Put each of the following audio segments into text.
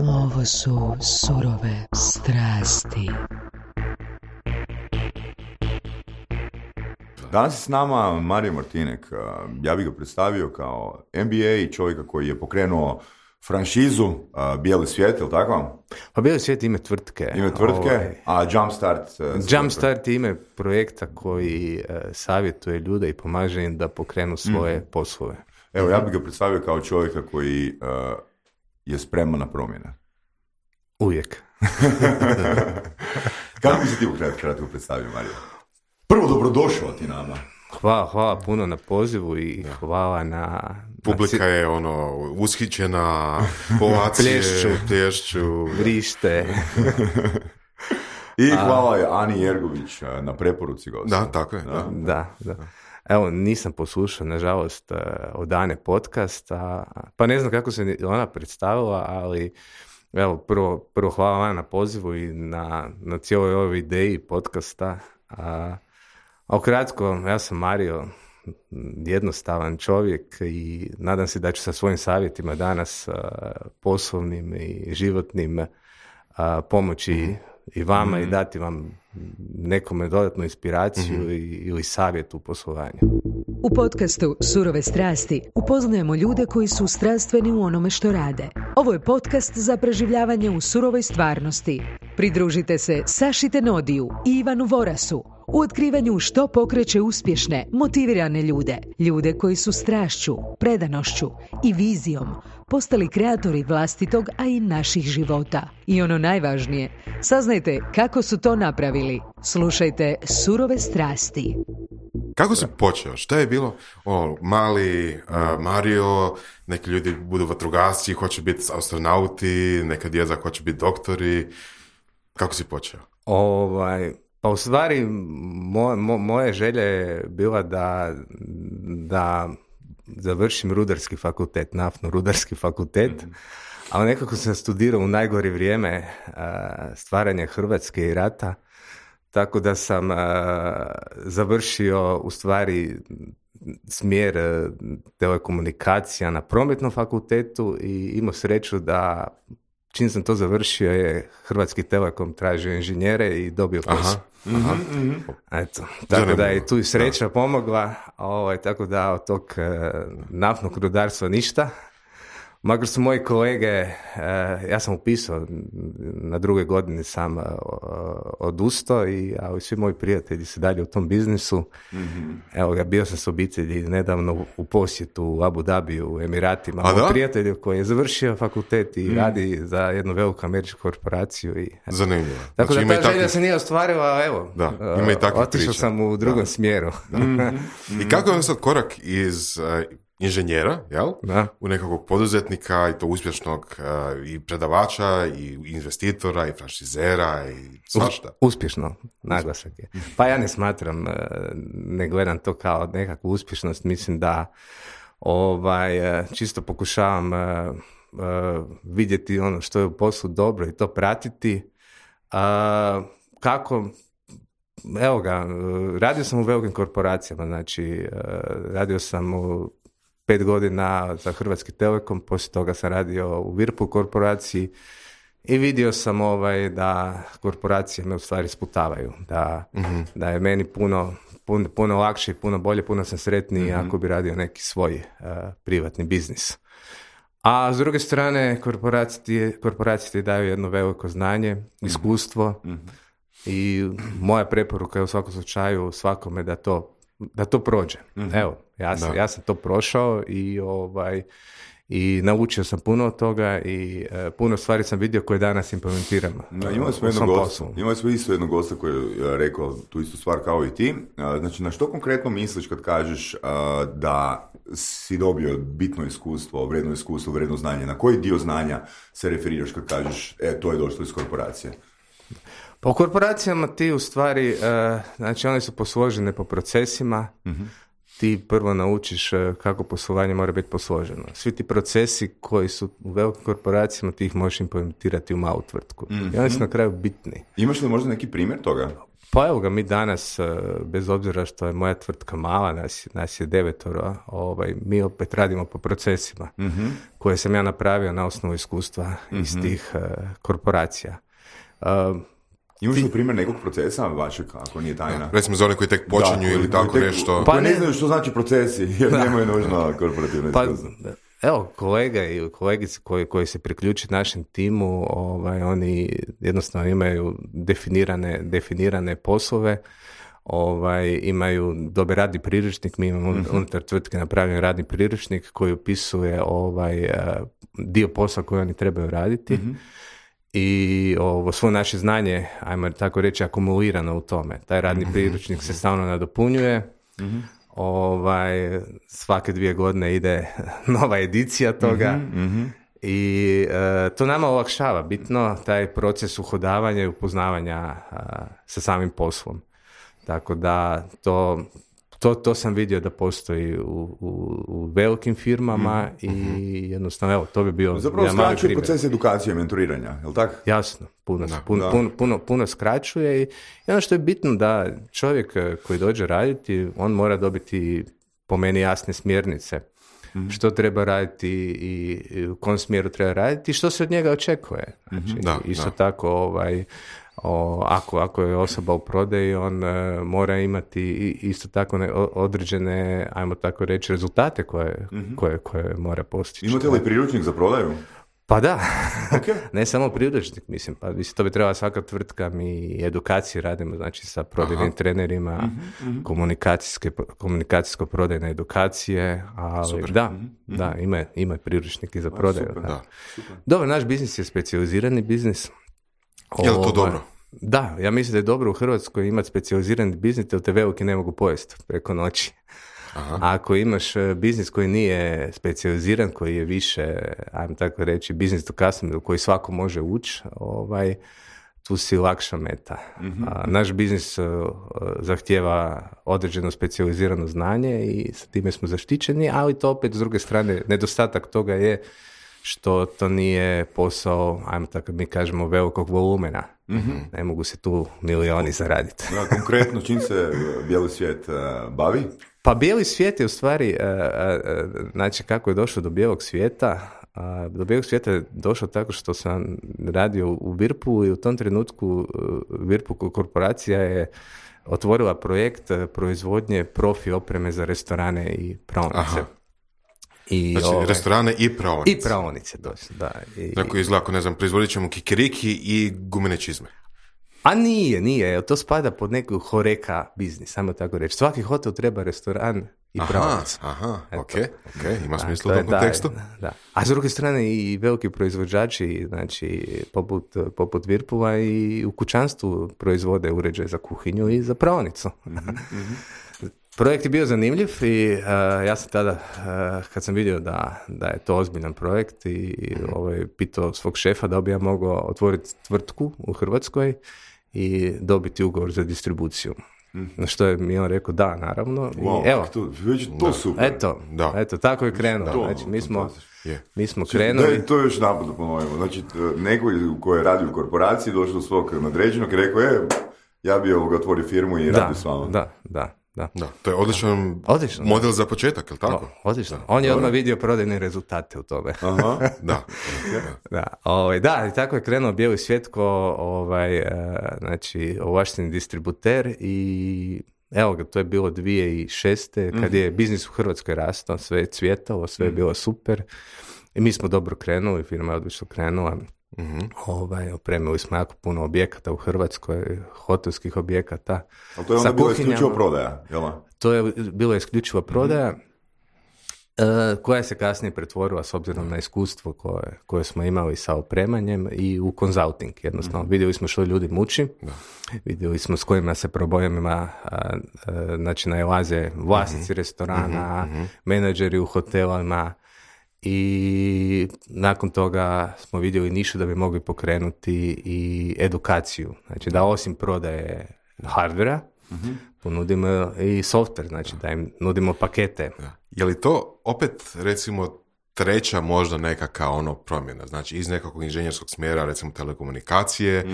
Ovo su surove strasti. Danas je s nama Mario Martinek. Ja bih ga predstavio kao MBA, čovjeka koji je pokrenuo franšizu Bijeli svijet, je li tako? Pa Bijeli svijet ime tvrtke. A Jumpstart? Jumpstart je ime projekta koji savjetuje ljude i pomaže im da pokrenu svoje poslove. Evo, ja bih ga predstavio kao čovjeka koji je spreman na promjene. Uvijek. Kako bi se ti kratko predstavio, Mario? Prvo, dobrodošao ti nama. Hvala puno na pozivu i hvala na... Publika je ushićena, ovacije, plješću, vrište. I hvala je Ani Jergović na preporuci gosta. Da, tako je. Da. Evo, nisam poslušao, nažalost, od Ane podcast, pa ne znam kako se ona predstavila, ali evo, prvo hvala vam na pozivu i na cijeloj ovoj ideji podcasta. A ukratko, ja sam Mario, jednostavan čovjek i nadam se da ću sa svojim savjetima danas poslovnim i životnim pomoći i vama i dati vam nekome dodatnu inspiraciju ili savjet u poslovanju. U podcastu Surove strasti upoznajemo ljude koji su strastveni u onome što rade. Ovo je podcast za preživljavanje u surovoj stvarnosti. Pridružite se Saši Tenodiju i Ivanu Vorasu u otkrivanju što pokreće uspješne, motivirane ljude. Ljude koji su strašću, predanošću i vizijom postali kreatori vlastitog, a i naših života. I ono najvažnije, saznajte kako su to napravili. Slušajte Surove strasti. Kako si počeo? Šta je bilo? Mali Mario, neki ljudi budu vatrogasci, hoće biti astronauti, neka djeca hoće biti doktori. Kako si počeo? Pa u stvari moja želja je bila da završim rudarski fakultet, naftno-rudarski fakultet, ali nekako sam studirao u najgore vrijeme stvaranja Hrvatske i rata, tako da sam završio u stvari smjer telekomunikacija na prometnom fakultetu i imao sreću da čim sam to završio je Hrvatski Telekom tražio inženjere i dobio posao. Eto, tako da je tu i sreća pomogla, tako da od tog naftnog rudarstva ništa. Makar su moji kolege, ja sam upisao, na drugoj godini sam odustao, ali svi moji prijatelji su dalje u tom biznisu. Evo, bio sam s obitelji nedavno u posjetu u Abu Dhabiju, u Emiratima. Moj prijatelj koji je završio fakultet i radi za jednu veliku američku korporaciju. Zanimljivo. Tako znači, da ta želja se nije ostvarila, evo, otišao sam u drugom smjeru. I kako je sad korak iz inženjera, jel? U nekakvog poduzetnika i to uspješnog i predavača i investitora i franšizera i svašta. Uspješno, naglasak je. Pa ja ne smatram, ne gledam to kao nekakvu uspješnost, mislim da čisto pokušavam vidjeti ono što je u poslu dobro i to pratiti. Kako? Evo ga, radio sam u velikim korporacijama, znači radio sam u 5 godina za Hrvatski Telekom, poslije toga sam radio u Whirlpool korporaciji i vidio sam da korporacije me u stvari sputavaju, da je meni puno lakše i puno bolje, puno sam sretniji ako bi radio neki svoj privatni biznis. A s druge strane, korporacije ti daju jedno veliko znanje, iskustvo i moja preporuka je u svakom slučaju svakome da to prođe. Evo, ja sam to prošao i naučio sam puno od toga i puno stvari sam vidio koje danas implementiram. Imali smo isto jednog gosta koji je rekao tu istu stvar kao i ti. Znači, na što konkretno misliš kad kažeš da si dobio bitno iskustvo, vredno znanje? Na koji dio znanja se referiraš kad kažeš to je došlo iz korporacije? Pa u korporacijama ti u stvari, znači one su posložene po procesima, ti prvo naučiš kako poslovanje mora biti posloženo. Svi ti procesi koji su u velikim korporacijama ti ih možeš implementirati u malu tvrtku. I oni su na kraju bitni. Imaš li možda neki primjer toga? Pa evo ga, mi danas, bez obzira što je moja tvrtka mala, nas je 9, mi opet radimo po procesima koje sam ja napravio na osnovu iskustva iz tih korporacija. Imaš li primjer nekog procesa vašeg, ako nije tajna? Recimo za one koji tek počinju ili tako nešto. Pa ne znaju što znači procesi, jer nemaju nužno korporativno iskustvo. Evo, kolega i kolegice koji se priključi našem timu, oni jednostavno imaju definirane poslove, imaju dobar radni priručnik, mi imamo unutar tvrtke napravljen radni priručnik koji opisuje dio posla koji oni trebaju raditi i svo naše znanje, ajmo tako reći, akumulirano u tome. Taj radni priručnik se stalno nadopunjuje, svake 2 godine ide nova edicija toga i to nama olakšava bitno taj proces uhodavanja i upoznavanja sa samim poslom. Tako da to sam vidio da postoji u velikim firmama i jednostavno, evo, to bi bio zapravo skraćuje proces edukacije, mentoriranja, je li tako? Jasno, puno skraćuje i ono što je bitno da čovjek koji dođe raditi, on mora dobiti po meni jasne smjernice što treba raditi i u kom smjeru treba raditi i što se od njega očekuje. Znači, isto tako, ako je osoba u prodaji, on mora imati isto tako određene, ajmo tako reći, rezultate koje mora postići. Imate li priručnik za prodaju? Pa da, ne samo priručnik, mislim, to bi trebala svaka tvrtka, mi edukacije radimo, znači sa prodajnim trenerima, komunikacijsko-prodajne edukacije, ali da, ima priručnik i za prodaju. Dobro, naš biznis je specijalizirani biznis. Je li to dobro? Da, ja mislim da je dobro u Hrvatskoj imati specijalizirani biznis, jer te veliki ne mogu pojesti preko noći. Aha. A ako imaš biznis koji nije specijaliziran, koji je više, ajmo tako reći, business to customer, u koji svako može ući, tu si lakša meta. Naš biznis zahtijeva određeno specijalizirano znanje i sa time smo zaštićeni, ali to opet s druge strane, nedostatak toga je što to nije posao, ajmo tako mi kažemo, velikog volumena. Ne mogu se tu milioni zaraditi. Konkretno, čim se bijeli svijet bavi? Pa bijeli svijet je u stvari, znači kako je došlo do bijelog svijeta, do bijelog svijeta je došlo tako što sam radio u Virpu i u tom trenutku Virpu korporacija je otvorila projekt proizvodnje profi opreme za restorane i praonice. Aha. Znači, restorane i praonice. I praonice, da. Tako izgleda, ne znam, proizvodit ćemo kikiriki i gumene čizme. A nije, to spada pod neku horeka biznis, samo tako reći. Svaki hotel treba restoran i praonice. Ok, ima smisla u tom kontekstu. Da. A s druge strane i veliki proizvođači, znači poput Virpova i u kućanstvu proizvode uređaje za kuhinju i za praonicu. Projekt je bio zanimljiv i ja sam tada, kad sam vidio da je to ozbiljan projekt i pitao svog šefa da bi ja mogao otvoriti tvrtku u Hrvatskoj i dobiti ugovor za distribuciju. Na što je mi on rekao da, naravno. Wow, i evo, to super. Eto, tako je krenulo. Znači, mi smo krenuli. To je još napad da ponovimo. Znači, neko ko je radio u korporaciji došao do svog nadređenog i rekao, ja bi otvorio firmu i radio s vama. Da. To je odličan model za početak, je li tako? Odlično. On je odmah vidio prodajne rezultate u tome. Aha, da, i tako je krenuo bijeli svijet znači ovlašteni distributer i evo ga, to je bilo 2006. kad je biznis u Hrvatskoj rastao, sve je cvjetalo, sve je bilo super i mi smo dobro krenuli, firma je odlično krenula. Opremili smo jako puno objekata u Hrvatskoj, hotelskih objekata. Ali to je onda bilo isključivo prodaja, jel? To je bilo isključivo prodaja, koja se kasnije pretvorila s obzirom na iskustvo koje smo imali sa opremanjem i u consulting. Jednostavno, vidjeli smo što ljudi muči, vidjeli smo s kojima se problemima znači nailaze vlasnici restorana, menadžeri u hotelima, i nakon toga smo vidjeli nišu da bi mogli pokrenuti i edukaciju. Znači da osim prodaje hardvera, ponudimo i software, znači da im nudimo pakete. Je li to opet, recimo, treća možda nekakva promjena. Znači, iz nekakvog inženjerskog smjera, recimo telekomunikacije,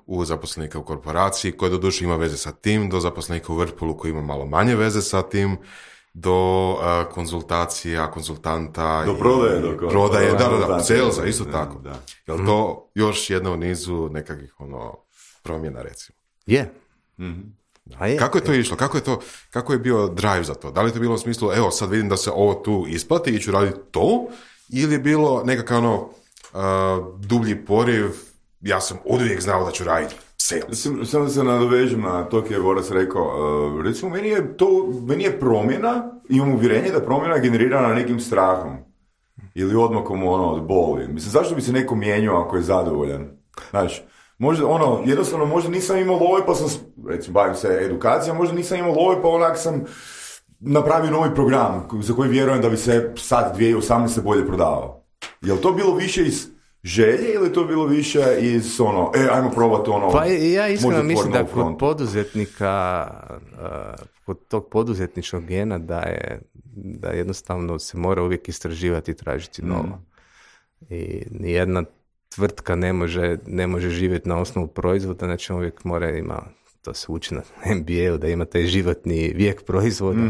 u zaposlenika u korporaciji, koji doduše ima veze sa tim, do zaposlenika u Whirlpoolu koji ima malo manje veze sa tim, do konzultacija, konsultanta, do prodaje, da, salesa, isto tako. Da. Jel to još jedna u nizu nekakvih promjena, recimo? Je. Kako je to išlo? Kako je bio drive za to? Da li je to bilo u smislu, evo sad vidim da se ovo tu isplati i ću raditi to, ili je bilo nekakav dublji poriv, ja sam uvijek znao da ću raditi sales? Samo da se nadovežem na to koje je Boras rekao. Recimo, meni je promjena, imam uvjerenje da promjena je generirana nekim strahom ili odmakom od boli. Mislim, zašto bi se neko mijenjao ako je zadovoljan? Znači, možda, jednostavno, možda nisam imao love, pa sam, recimo, bavim se edukacijom, možda nisam imao love, pa onak sam napravio novi program za koji vjerujem da bi se sad 2018. bolje prodavao. Je li to bilo više iz želje ili to bilo više iz ajmo probati Pa ja iskreno mislim da kod poduzetnika, kod tog poduzetničkog gena da jednostavno se mora uvijek istraživati i tražiti novo. I nijedna tvrtka ne može živjeti na osnovu proizvoda, znači uvijek mora ima, to se uči na MBA-u, da ima taj životni vijek proizvoda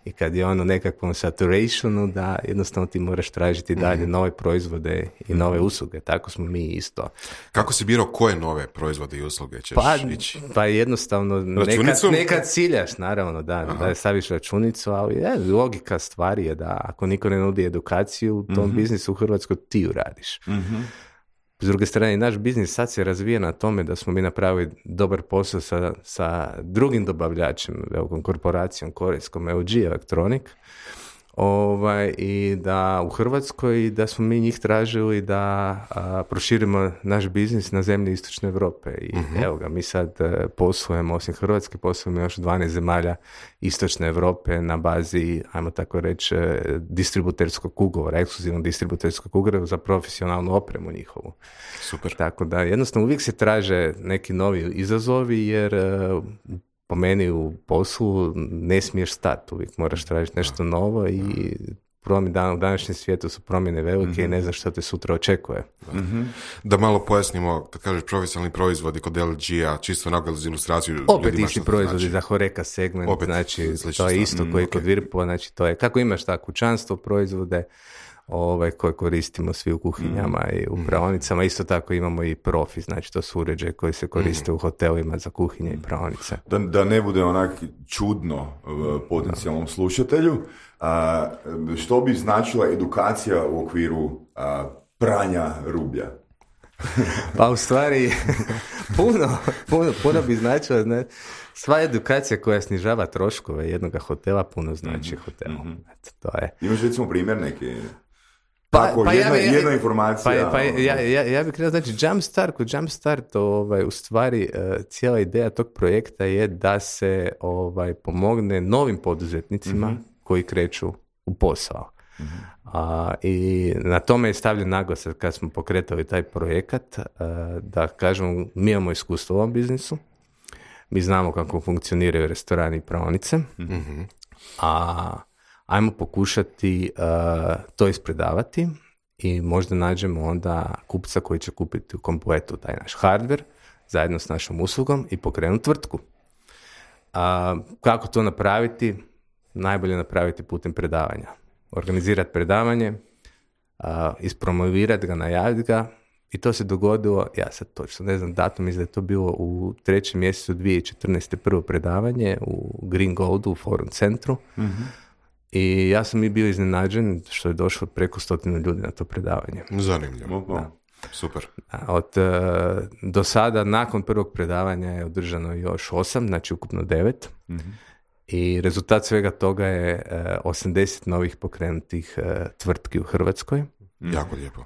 i kad je ono nekakvom saturationu, da jednostavno ti moraš tražiti dalje nove proizvode i nove usluge. Tako smo mi isto. Kako si birao koje nove proizvode i usluge ćeš ići? Pa jednostavno nekad ciljaš, naravno, da staviš računicu, ali logika stvari je da ako niko ne nudi edukaciju u tom biznisu u Hrvatskoj, ti ju radiš. S druge strane, naš biznis sad se razvija na tome da smo mi napravili dobar posao sa drugim dobavljačem, velikom korporacijom korejskom, LG Electronic, i da u Hrvatskoj da smo mi njih tražili da proširimo naš biznis na zemlje Istočne Europe. I evo ga, mi sad poslujemo, osim Hrvatske, poslujemo još 12 zemalja Istočne Europe na bazi, ajmo tako reći, distributerskog ugovora, ekskluzivnog distributerskog ugovora za profesionalnu opremu njihovu. Super. Tako da jednostavno uvijek se traže neki novi izazovi, jer po meni u poslu ne smiješ stati, uvijek moraš tražiti nešto novo i u današnjem svijetu su promjene velike i ne znaš što te sutra očekuje. Da malo pojasnimo, kad kažeš profesionalni proizvodi kod LG-a, čisto onako za ilustraciju. Opet isti proizvodi znači. Za Horeca segment, opet, znači to je isto koji kod Whirlpoola, znači to je, kako imaš tako kućanstvo proizvode, koje koristimo svi u kuhinjama i u praonicama. Isto tako imamo i profi, znači to su uređaje koji se koriste u hotelima za kuhinje i praonice. Da ne bude onak čudno potencijalnom slušatelju, što bi značila edukacija u okviru pranja rublja? Pa u stvari puno bi značila, ne? Sva edukacija koja snižava troškove jednog hotela puno znači hotelu. To je. Imaš recimo primjer neki? Jedna informacija. Ja bih krenuo, znači kod Jumpstart u stvari cijela ideja tog projekta je da se pomogne novim poduzetnicima koji kreću u posao. I na tome je stavljen naglasak kad smo pokretali taj projekat, da kažemo, mi imamo iskustvo u ovom biznisu, mi znamo kako funkcioniraju restorani i praonice, ajmo pokušati to ispredavati i možda nađemo onda kupca koji će kupiti u kompletu taj naš hardware zajedno s našom uslugom i pokrenuti tvrtku. Kako to napraviti? Najbolje napraviti putem predavanja. Organizirati predavanje, ispromovirati ga, najaviti ga, i to se dogodilo, ja sad točno ne znam datum, mislim da je to bilo u 3. mjesecu 2014. prvo predavanje u Green Goldu u Forum centru. I ja sam i bio iznenađen što je došlo preko 100 ljudi na to predavanje. Zanimljivo. Da. Super. Do sada, nakon prvog predavanja je održano još 8, znači ukupno 9. I rezultat svega toga je 80 novih pokrenutih tvrtki u Hrvatskoj. Jako lijepo.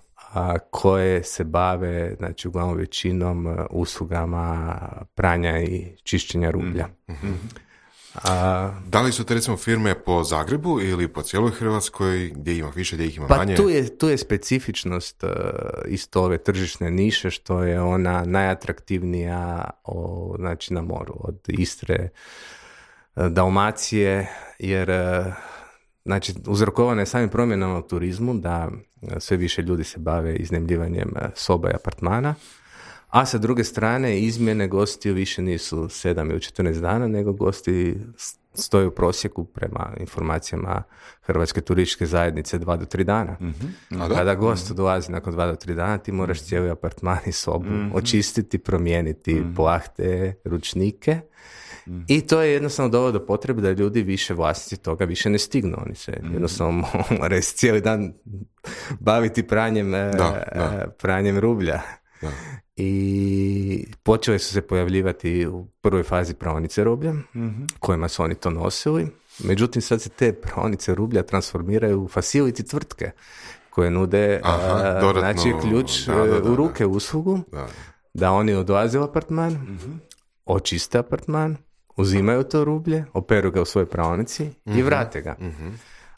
Koje se bave, znači uglavnom većinom uslugama pranja i čišćenja rublja. Da li su te recimo firme po Zagrebu ili po cijeloj Hrvatskoj, gdje ima više, gdje ih ima manje? Tu je specifičnost isto ove tržišne niše, što je ona najatraktivnija znači na moru, od Istre, Dalmacije, jer znači, uzrokovana je samim promjenama u turizmu, da sve više ljudi se bave iznajmljivanjem soba i apartmana, a sa druge strane izmjene gostiju više nisu 7 ili 14 dana, nego gosti stoje u prosjeku prema informacijama Hrvatske turističke zajednice 2 do 3 dana. Kada gost dolazi nakon 2 do 3 dana, ti moraš cijeli apartman i sobu očistiti, promijeniti plahte, ručnike. I to je jednostavno dovelo do potrebe da ljudi više vlasnici toga više ne stignu. Oni se jednostavno moraju cijeli dan baviti pranjem rublja. Da. I počele su se pojavljivati u prvoj fazi praonice rublja, kojima su oni to nosili. Međutim, sad se te praonice rublja transformiraju u facility tvrtke koje nude znači ključ u ruke uslugu, da oni odlaze u apartman, očiste apartman, uzimaju to rublje, operu ga u svojoj praonici i vrate ga.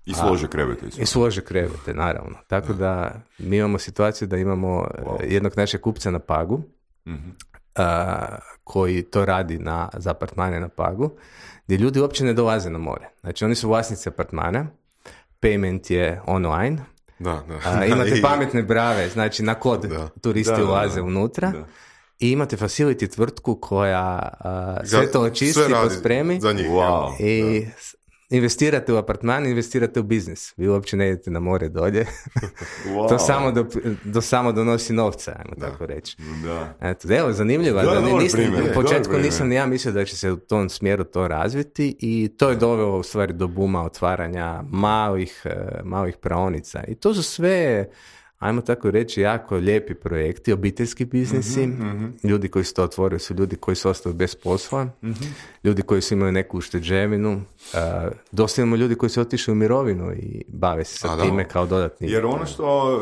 I slože krevete. I slože krevete, naravno. Tako da mi imamo situaciju da imamo jednog našeg kupca na Pagu, koji to radi za apartmane na Pagu, gdje ljudi uopće ne dolaze na more. Znači, oni su vlasnici apartmana, payment je online, imate pametne brave, znači na kod turisti ulaze unutra, i imate facility tvrtku koja sve to očisti, pospremi za njih. I investirate u apartman, investirate u biznis. Vi uopće ne idete na more dolje. To samo donosi novca, ajmo tako reći. Evo, zanimljivo. U početku nisam ni ja mislio da će se u tom smjeru to razviti i to je dovelo u stvari do buma otvaranja malih praonica. I to su sve, ajmo tako reći, jako lijepi projekti, obiteljski biznisi. Ljudi koji su to otvorili su ljudi koji su ostali bez posla, ljudi koji su imali neku ušteđevinu, dosta imamo ljudi koji su otišli u mirovinu i bave se sa time kao dodatni. Jer ono što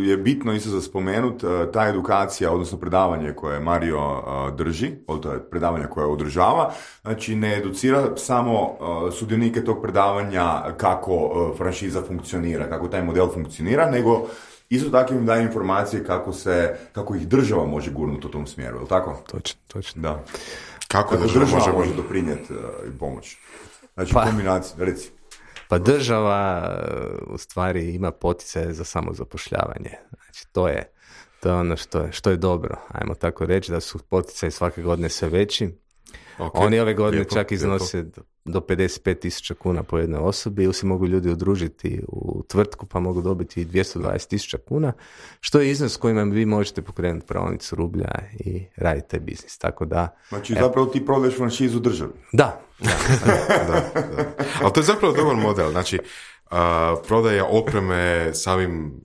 je bitno isto za spomenut, ta edukacija, odnosno predavanje koje Mario drži, to je predavanje koje održava, znači ne educira samo sudionike tog predavanja kako franšiza funkcionira, kako taj model funkcionira, nego isto tako im daje informacije kako ih država može gurnuti u tom smjeru, je li tako? Točno. Da. Kako država može doprinijeti i pomoći? Znači, kombinacija, reci. Pa država u stvari ima poticaje za samozapošljavanje. Znači, to je ono što je dobro. Ajmo tako reći da su poticaji svake godine sve veći. Oni ove godine čak iznose do 55.000 kuna po jednoj osobi ili se mogu ljudi udružiti u tvrtku pa mogu dobiti 220.000 kuna, što je iznos kojima vi možete pokrenuti praonicu rublja i raditi taj biznis. Tako da, znači zapravo ti prodaješ franšizu državi. Da. Ali to je zapravo dobar model. Znači, prodaja opreme samim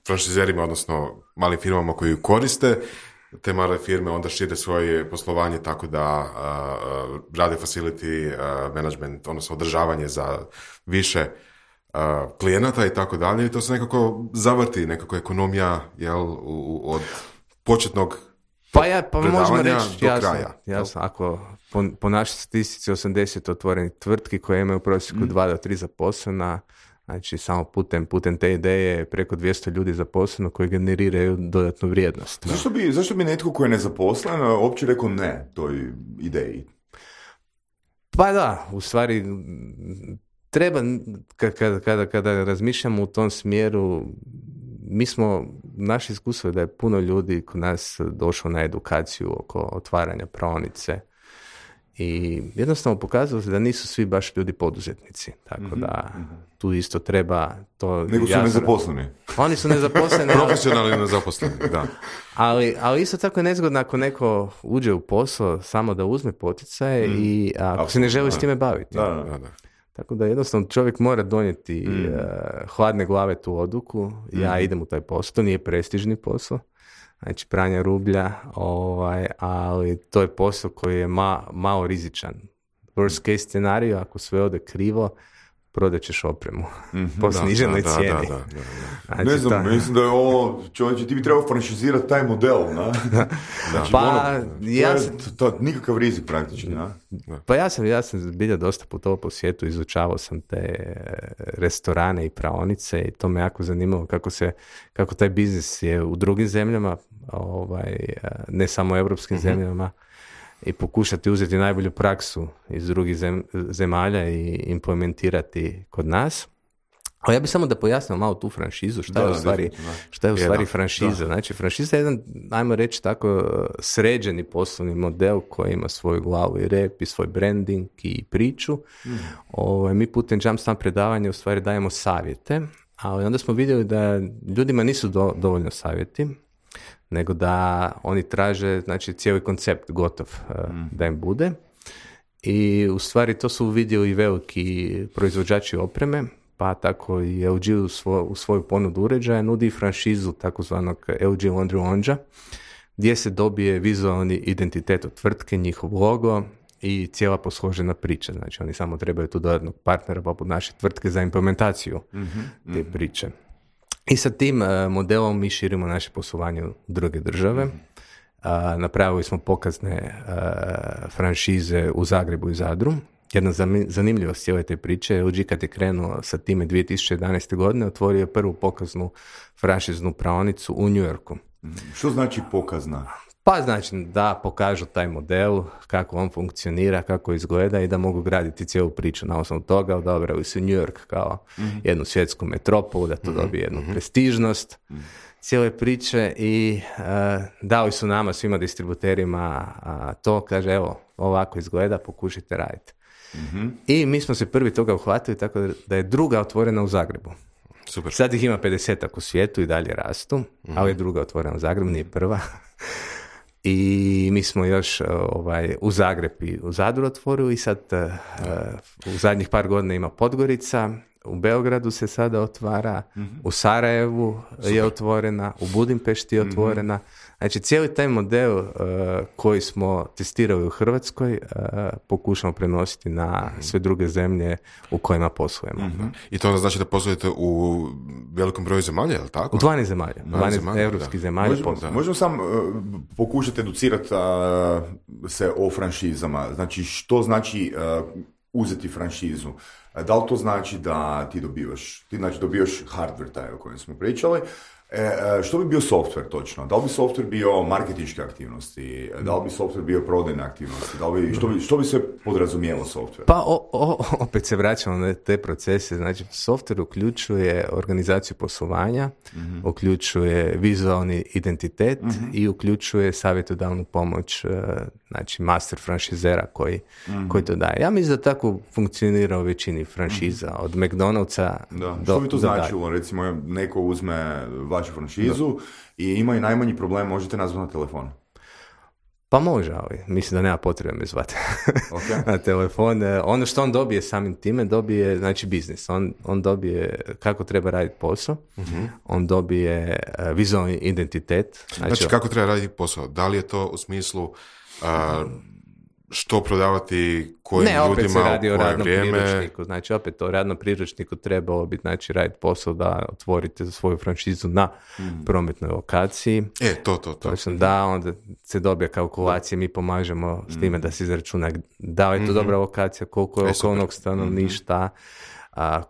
franšizerima, odnosno malim firmama koji ju koriste. Te male firme onda šire svoje poslovanje tako da rade facility management, odnosno održavanje za više klijenata i tako dalje. I to se nekako zavrti, nekako ekonomija od početnog možemo reći, do kraja. Jasno, ako po našoj statistici 80 otvorenih tvrtki koje imaju u prosjeku 2 do 3 zaposlena, znači samo putem te ideje preko 200 ljudi zaposleno koji generiraju dodatnu vrijednost. Zašto bi netko koji je nezaposlen uopće rekao ne toj ideji? Pa da, u stvari treba, kada razmišljamo u tom smjeru, naše iskustvo je da je puno ljudi kod nas došlo na edukaciju oko otvaranja praonice. I jednostavno pokazalo se da nisu svi baš ljudi poduzetnici. Tako da tu isto treba to... Nego su nezaposleni. Oni su nezaposleni. Profesionalni nezaposleni, da. Ali isto tako je nezgodno ako neko uđe u posao samo da uzme poticaje i ako se ne želi s time baviti. Da. Tako da jednostavno čovjek mora donijeti hladne glave tu odluku. Ja idem u taj posao. To nije prestižni posao. Znači pranje rublja, ali to je posao koji je malo rizičan. Worst case scenario, ako sve ode krivo, prodat ćeš opremu po sniženoj cijeni. Znači, ne znam, mislim da je ovo, čovječe, ti bi trebao franšizirati taj model, na? Znači, nikakav rizik praktički, na? Pa ja sam zbilja dosta putovao po svijetu, izučavao sam te restorane i praonice i to me jako zanimalo kako taj biznis je u drugim zemljama, ne samo u europskim zemljama. i pokušati uzeti najbolju praksu iz drugih zemalja i implementirati kod nas. A ja bih samo da pojasnim malo tu franšizu, šta je u stvari franšiza. Znači, franšiza je jedan, ajmo reći tako, sređeni poslovni model koji ima svoju glavu i rep i svoj branding i priču. Mi putem Jumpstart predavanja u stvari dajemo savjete, ali onda smo vidjeli da ljudima nisu dovoljno savjeti, nego da oni traže, znači, cijeli koncept gotov da im bude. I u stvari to su vidjeli i veliki proizvođači opreme, pa tako i LG u svoju ponudu uređaja nudi franšizu takozvanog LG Laundry Lounge, gdje se dobije vizualni identitet od tvrtke, njihov logo i cijela posložena priča. Znači, oni samo trebaju tu dodatnog partnera poput naše tvrtke za implementaciju te priče. I sa tim modelom mi širimo naše poslovanje u druge države. Napravili smo pokazne franšize u Zagrebu i Zadru. Jedna zanimljivost cijele te priče, LG kad je krenuo sa time 2011. godine, otvorio je prvu pokaznu franšiznu praonicu u New Yorku. Što znači pokazna? Pa znači da pokažu taj model, kako on funkcionira, kako izgleda i da mogu graditi cijelu priču na osnovu toga. Odabrali su New York kao jednu svjetsku metropolu, da to dobije jednu prestižnost cijele priče i dali su nama, svima distributerima, to, kaže, evo, ovako izgleda, pokušajte raditi. I mi smo se prvi toga uhvatili, tako da je druga otvorena u Zagrebu. Super. Sad ih ima 50 u svijetu i dalje rastu, ali je druga otvorena u Zagrebu, nije prva. I mi smo još u Zagreb i u Zadru otvorili i sad u zadnjih par godina ima Podgorica, u Beogradu se sada otvara, u Sarajevu je otvorena, u Budimpešti je otvorena. Znači, cijeli taj model koji smo testirali u Hrvatskoj pokušamo prenositi na sve druge zemlje u kojima poslujemo. I to znači da poslujete u velikom broju zemalja, je li tako? U 12 zemalja, 12 evropskih zemalja. Možemo sam pokušati educirati se o franšizama. Znači, što znači uzeti franšizu? Da li to znači da ti dobivaš hardware taj o kojem smo pričali? Što bi bio software točno? Da li bi software bio marketinške aktivnosti? Da li bi software bio prodajne aktivnosti? Što bi se podrazumijelo software? Pa opet se vraćamo na te procese. Znači, software uključuje organizaciju poslovanja, uključuje vizualni identitet i uključuje savjetodavnu pomoć, znači master franšizera koji to daje. Ja mislim da tako funkcionira u većini franšiza, od McDonald'sa do... Što bi to značilo? Recimo, neko uzme vašu franšizu i ima i najmanji problem, možete nazvati na telefon. Pa može, ali mislim da nema potrebe me zvati na telefon. Ono što on dobije samim time, dobije, znači, biznis. On dobije kako treba raditi posao, on dobije vizualni identitet. Znači, kako treba raditi posao? Da li je to u smislu što prodavati kojim ljudima, opet se radi o radnom vrijeme? Priručniku. Znači, opet o radnom priručniku trebalo bi, znači, raditi posao da otvorite svoju franšizu na prometnoj lokaciji. To. Točno, da, onda se dobije kalkulacije, mi pomažemo s time da se izračuna da li je to dobra lokacija, koliko je okolnog stanovništva,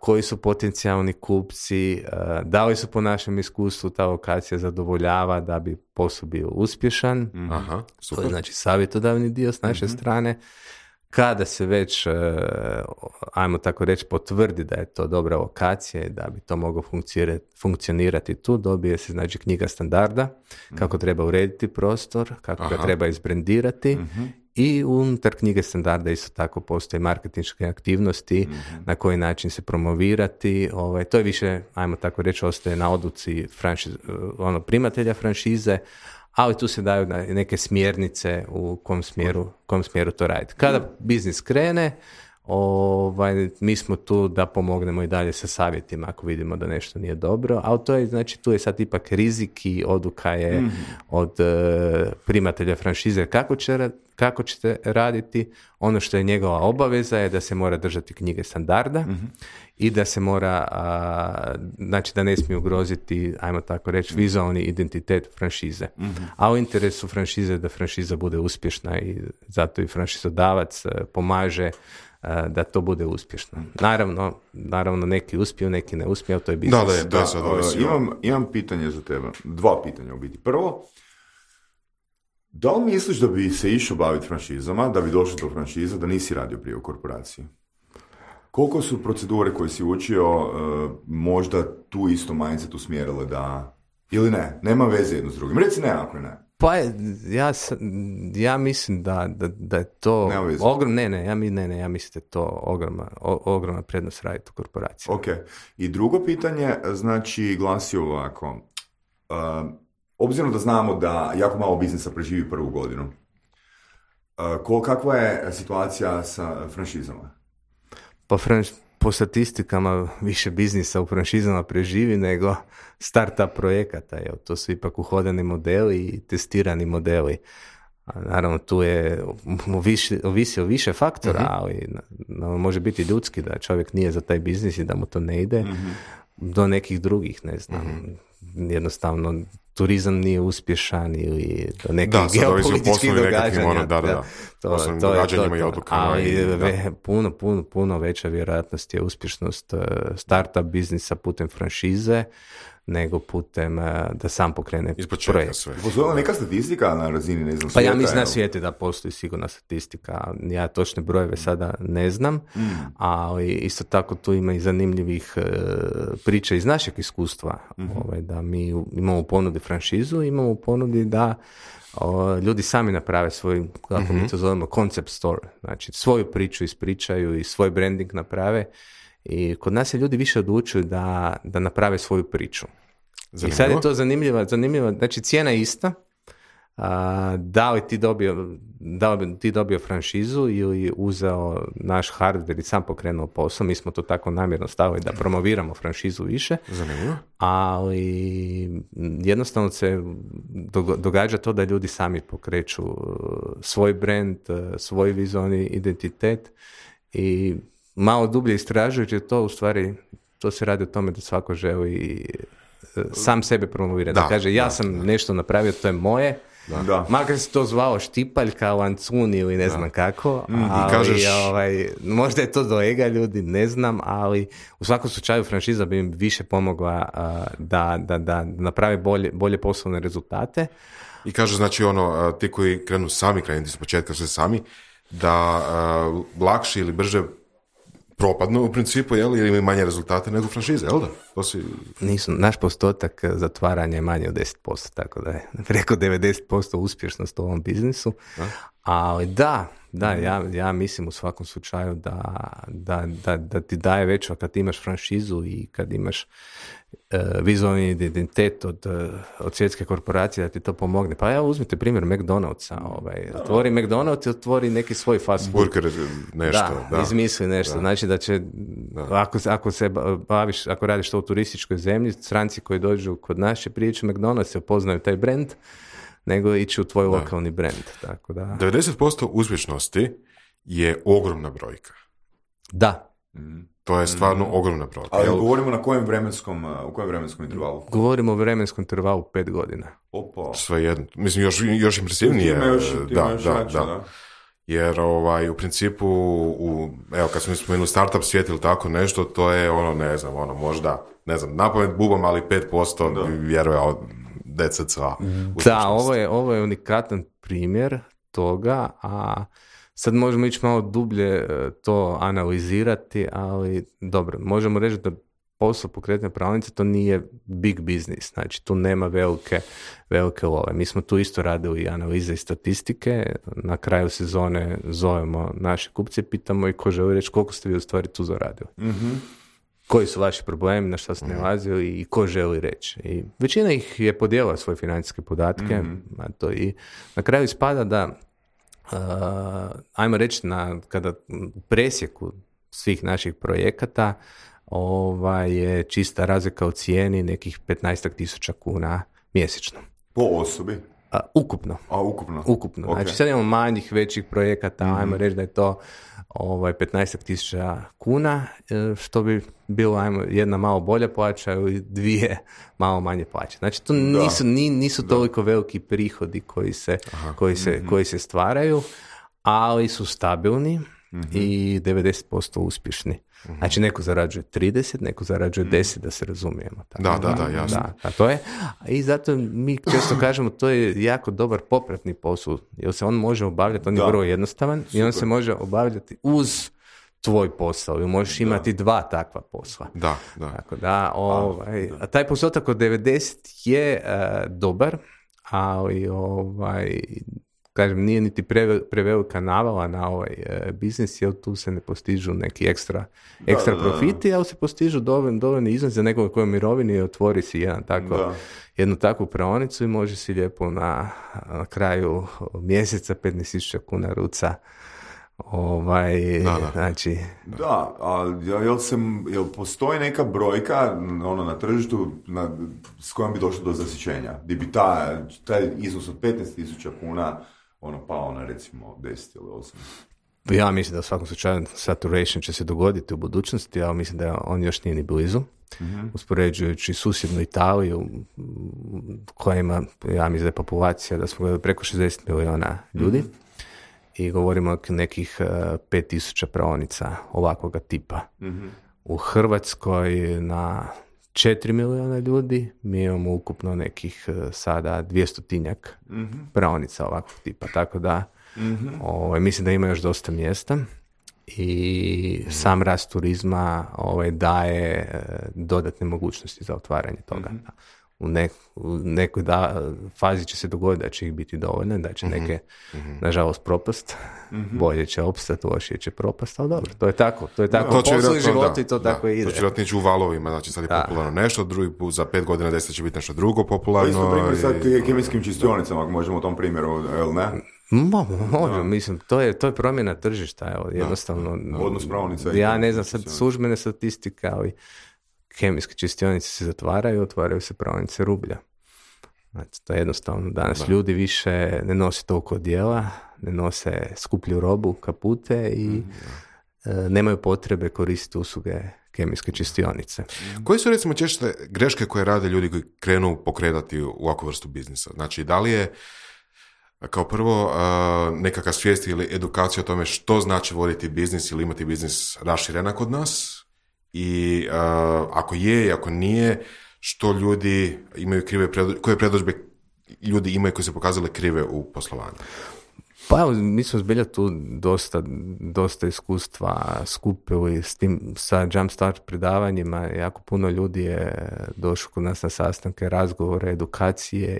koji su potencijalni kupci, da li su po našem iskustvu ta lokacija zadovoljava da bi posao bio uspješan. To je, znači, savjetodavni dio s naše strane. Kada se već, ajmo tako reći, potvrdi da je to dobra lokacija i da bi to moglo funkcionirati tu, dobije se, znači, knjiga standarda, kako treba urediti prostor, kako ga treba izbrendirati. I unutar knjige standarda isto tako postoje marketinške aktivnosti, na koji način se promovirati. To je više, ajmo tako reći, ostaje na odluci primatelja franšize, ali tu se daju neke smjernice u kom smjeru to raditi. Kada biznis krene, mi smo tu da pomognemo i dalje sa savjetima ako vidimo da nešto nije dobro, ali to je, znači, tu je sad ipak rizik i odluka je od primatelja franšize kako ćete raditi. Ono što je njegova obaveza je da se mora držati knjige standarda i da se mora, znači, da ne smije ugroziti, ajmo tako reći, vizualni identitet franšize. A u interesu franšize je da franšiza bude uspješna i zato i franšizodavac pomaže da to bude uspješno. Naravno, neki uspiju, neki ne uspiju, ali to je biznis. Imam pitanje za tebe. 2 pitanja u biti. Prvo, Da li misliš da bi se išao baviti franšizama, da bi došao do franšiza, da nisi radio prije u korporaciji? Koliko su procedure koje si učio možda tu isto mindset usmjerile da... Ili ne? Nema veze jedno s drugim. Reci ne ako ne. Pa ja mislim da je to ja mislim da je to ogromna prednost raditi u korporaciji. Ok. I drugo pitanje, znači, glasi ovako. Obzirom da znamo da jako malo biznisa preživi prvu godinu, kakva je situacija sa franšizama? Pa po statistikama više biznisa u franšizama preživi nego startup projekata. To su ipak uhodani modeli i testirani modeli. A naravno, tu je ovisi o više faktora, ali može biti ljudski da čovjek nije za taj biznis i da mu to ne ide, do nekih drugih, ne znam. Jednostavno, turizam nije uspješan ili do nekih geopolitičkih događanja. To događanjima i odlukama. Ali puno veća vjerojatnost je uspješnost startup biznisa putem franšize nego putem da sam pokrene projekt. Postoji neka statistika na razini, ne znam, pa ja mislim na svijetu da postoji sigurna statistika. Ja točne brojeve sada ne znam, ali isto tako tu ima i zanimljivih priča iz našeg iskustva. Da mi imamo u ponudi franšizu, imamo u ponudi da ljudi sami naprave svoj, kako mi to zovemo, concept store. Znači, svoju priču ispričaju i svoj branding naprave. I kod nas se ljudi više odlučuju da naprave svoju priču. Zanimljivo. I sad je to zanimljivo. Znači, cijena je ista. Da li ti dobio franšizu ili uzeo naš hardware i sam pokrenuo posao. Mi smo to tako namjerno stavili da promoviramo franšizu više. Zanimljivo. Ali jednostavno se događa to da ljudi sami pokreću svoj brand, svoj vizualni identitet i malo dublje istražujući to, u stvari, to se radi o tome da svako želi sam sebe promovirati. Da kaže, ja sam nešto napravio, to je moje. Da. Makar se to zvalo štipaljka, lancun ili ne znam kako. Ali, kažeš... možda je to do ega ljudi, ne znam, ali u svakom slučaju franšiza bi im više pomogla da naprave bolje poslovne rezultate. I kaže, znači, ti koji krenu sami, krenuti s početka sve sami, da lakše ili brže propadnu u principu, ili imaju manje rezultate nego franšize, jel da? Naš postotak zatvaranja je manje od 10%, tako da je preko 90% uspješnost u ovom biznisu. Ali ja mislim u svakom slučaju da ti daje veću, kad imaš franšizu i kad imaš vizualni identitet od svjetske korporacije, da ti to pomogne. Pa evo, uzmite primjer McDonald'sa. Otvori McDonald's i otvori neki svoj fast food. Burger nešto. Da, izmisli nešto. Da. Znači da će, ako se baviš, ako radiš to u turističkoj zemlji, stranci koji dođu kod nas će prijeći u McDonald's, se poznaju taj brand, nego ići u tvoj lokalni brand. Tako da... 90% uspješnosti je ogromna brojka. Da. To je stvarno ogromna brojka. Ali govorimo u kojem vremenskom intervalu? Govorimo o vremenskom intervalu 5 godina. Opa. Sve jedno. Mislim, još impresivnije. Da. Jer u principu, kad smo spomenuli startup svijet ili tako nešto, to je možda, napamet bubam, ali 5% vjeruje od DCC. Da, ovo je unikatan primjer toga, a sad možemo ići malo dublje to analizirati, ali dobro, možemo reći da posao pokretne prodavnice to nije big business, znači tu nema velike love. Mi smo tu isto radili i analize i statistike, na kraju sezone zovemo naše kupce, pitamo i ko želi reći koliko ste vi u stvari tu zaradili. Mm-hmm. Koji su vaši problemi, na šta ste nalazili i ko želi reći. I većina ih je podijelila svoje financijske podatke, i na kraju ispada da ajmo reći kada u presjeku svih naših projekata je čista razlika u cijeni nekih 15.000 kuna mjesečno. Po osobi? Ukupno. Ukupno. Okay. Znači sad imamo manjih, većih projekata, ajmo reći da je to 15.000 kuna, što bi bilo jedna malo bolja plaća ili 2 malo manje plaće. Znači to nisu toliko veliki prihodi koji se stvaraju, ali su stabilni i 90% uspješni. Znači, neko zarađuje 30, neko zarađuje 10, da se razumijemo. Tako, Da, jasno. Da, to je. I zato mi često kažemo, to je jako dobar popratni posao, jer se on može obavljati, on je vrlo jednostavan, i on se može obavljati uz tvoj posao, i možeš imati dva takva posla. Da. Tako da, a taj postotak od 90 je dobar, ali kažem, nije niti prevelika navala na ovaj biznis, jer tu se ne postižu neki ekstra profiti, ali se postižu dovoljni iznos za nekoga koji je u mirovini i otvori si jednu takvu praonicu i može si lijepo na kraju mjeseca 15.000 kuna ruca. Znači... Da, ali jel postoji neka brojka na tržištu s kojom bi došlo do zasićenja? Gdje bi taj iznos od 15.000 kuna pao na recimo 10 ili 8? Ja mislim da u svakom slučaju saturation će se dogoditi u budućnosti, ali mislim da on još nije ni blizu. Uspoređujući susjednu Italiju, koja ima, ja mislim da je populacija, da smo gledali preko 60 miliona ljudi, i govorimo o nekih 5.000 praonica ovakvoga tipa. U Hrvatskoj na 4 miliona ljudi mi imamo ukupno nekih sada 200-tinjak praonica ovakvog tipa. Tako da mislim da ima još dosta mjesta i sam rast turizma daje dodatne mogućnosti za otvaranje toga. U nekoj fazi će se dogoditi da će ih biti dovoljno, da će neke, nažalost, propast, bolje će opstati, lošije će propast, ali dobro, to je tako. To je tako, poslovi života i to tako ide. To će vjerojatno ići u valovima, znači sad je popularno nešto, drugi put za 5 godina, 10 će biti nešto drugo popularno. To isto primjer sa kemijskim čistionicama, ako možemo u tom primjeru, jel ne? Može, mislim, to je promjena tržišta, evo, jednostavno. Odnos praonica. Ja ne znam, sad službene statistike, ali kemijske čistionice se zatvaraju, otvaraju se praonice rublja. Znači, to je jednostavno. Danas ljudi više ne nose toliko odjela, ne nose skuplju robu, kapute i nemaju potrebe koristiti usluge kemijske čistionice. Koje su recimo češće greške koje rade ljudi koji krenu pokretati u ovakvu vrstu biznisa? Znači, da li je kao prvo nekakva svijest ili edukacija o tome što znači voditi biznis ili imati biznis raširena kod nas? I ako je i ako nije, što ljudi imaju koje predodžbe ljudi imaju koji se pokazali krive u poslovanju? Pa evo, mi smo zbilja tu dosta iskustva skupili sa Jumpstart predavanjima. Jako puno ljudi je došlo kod nas na sastanke, razgovore, edukacije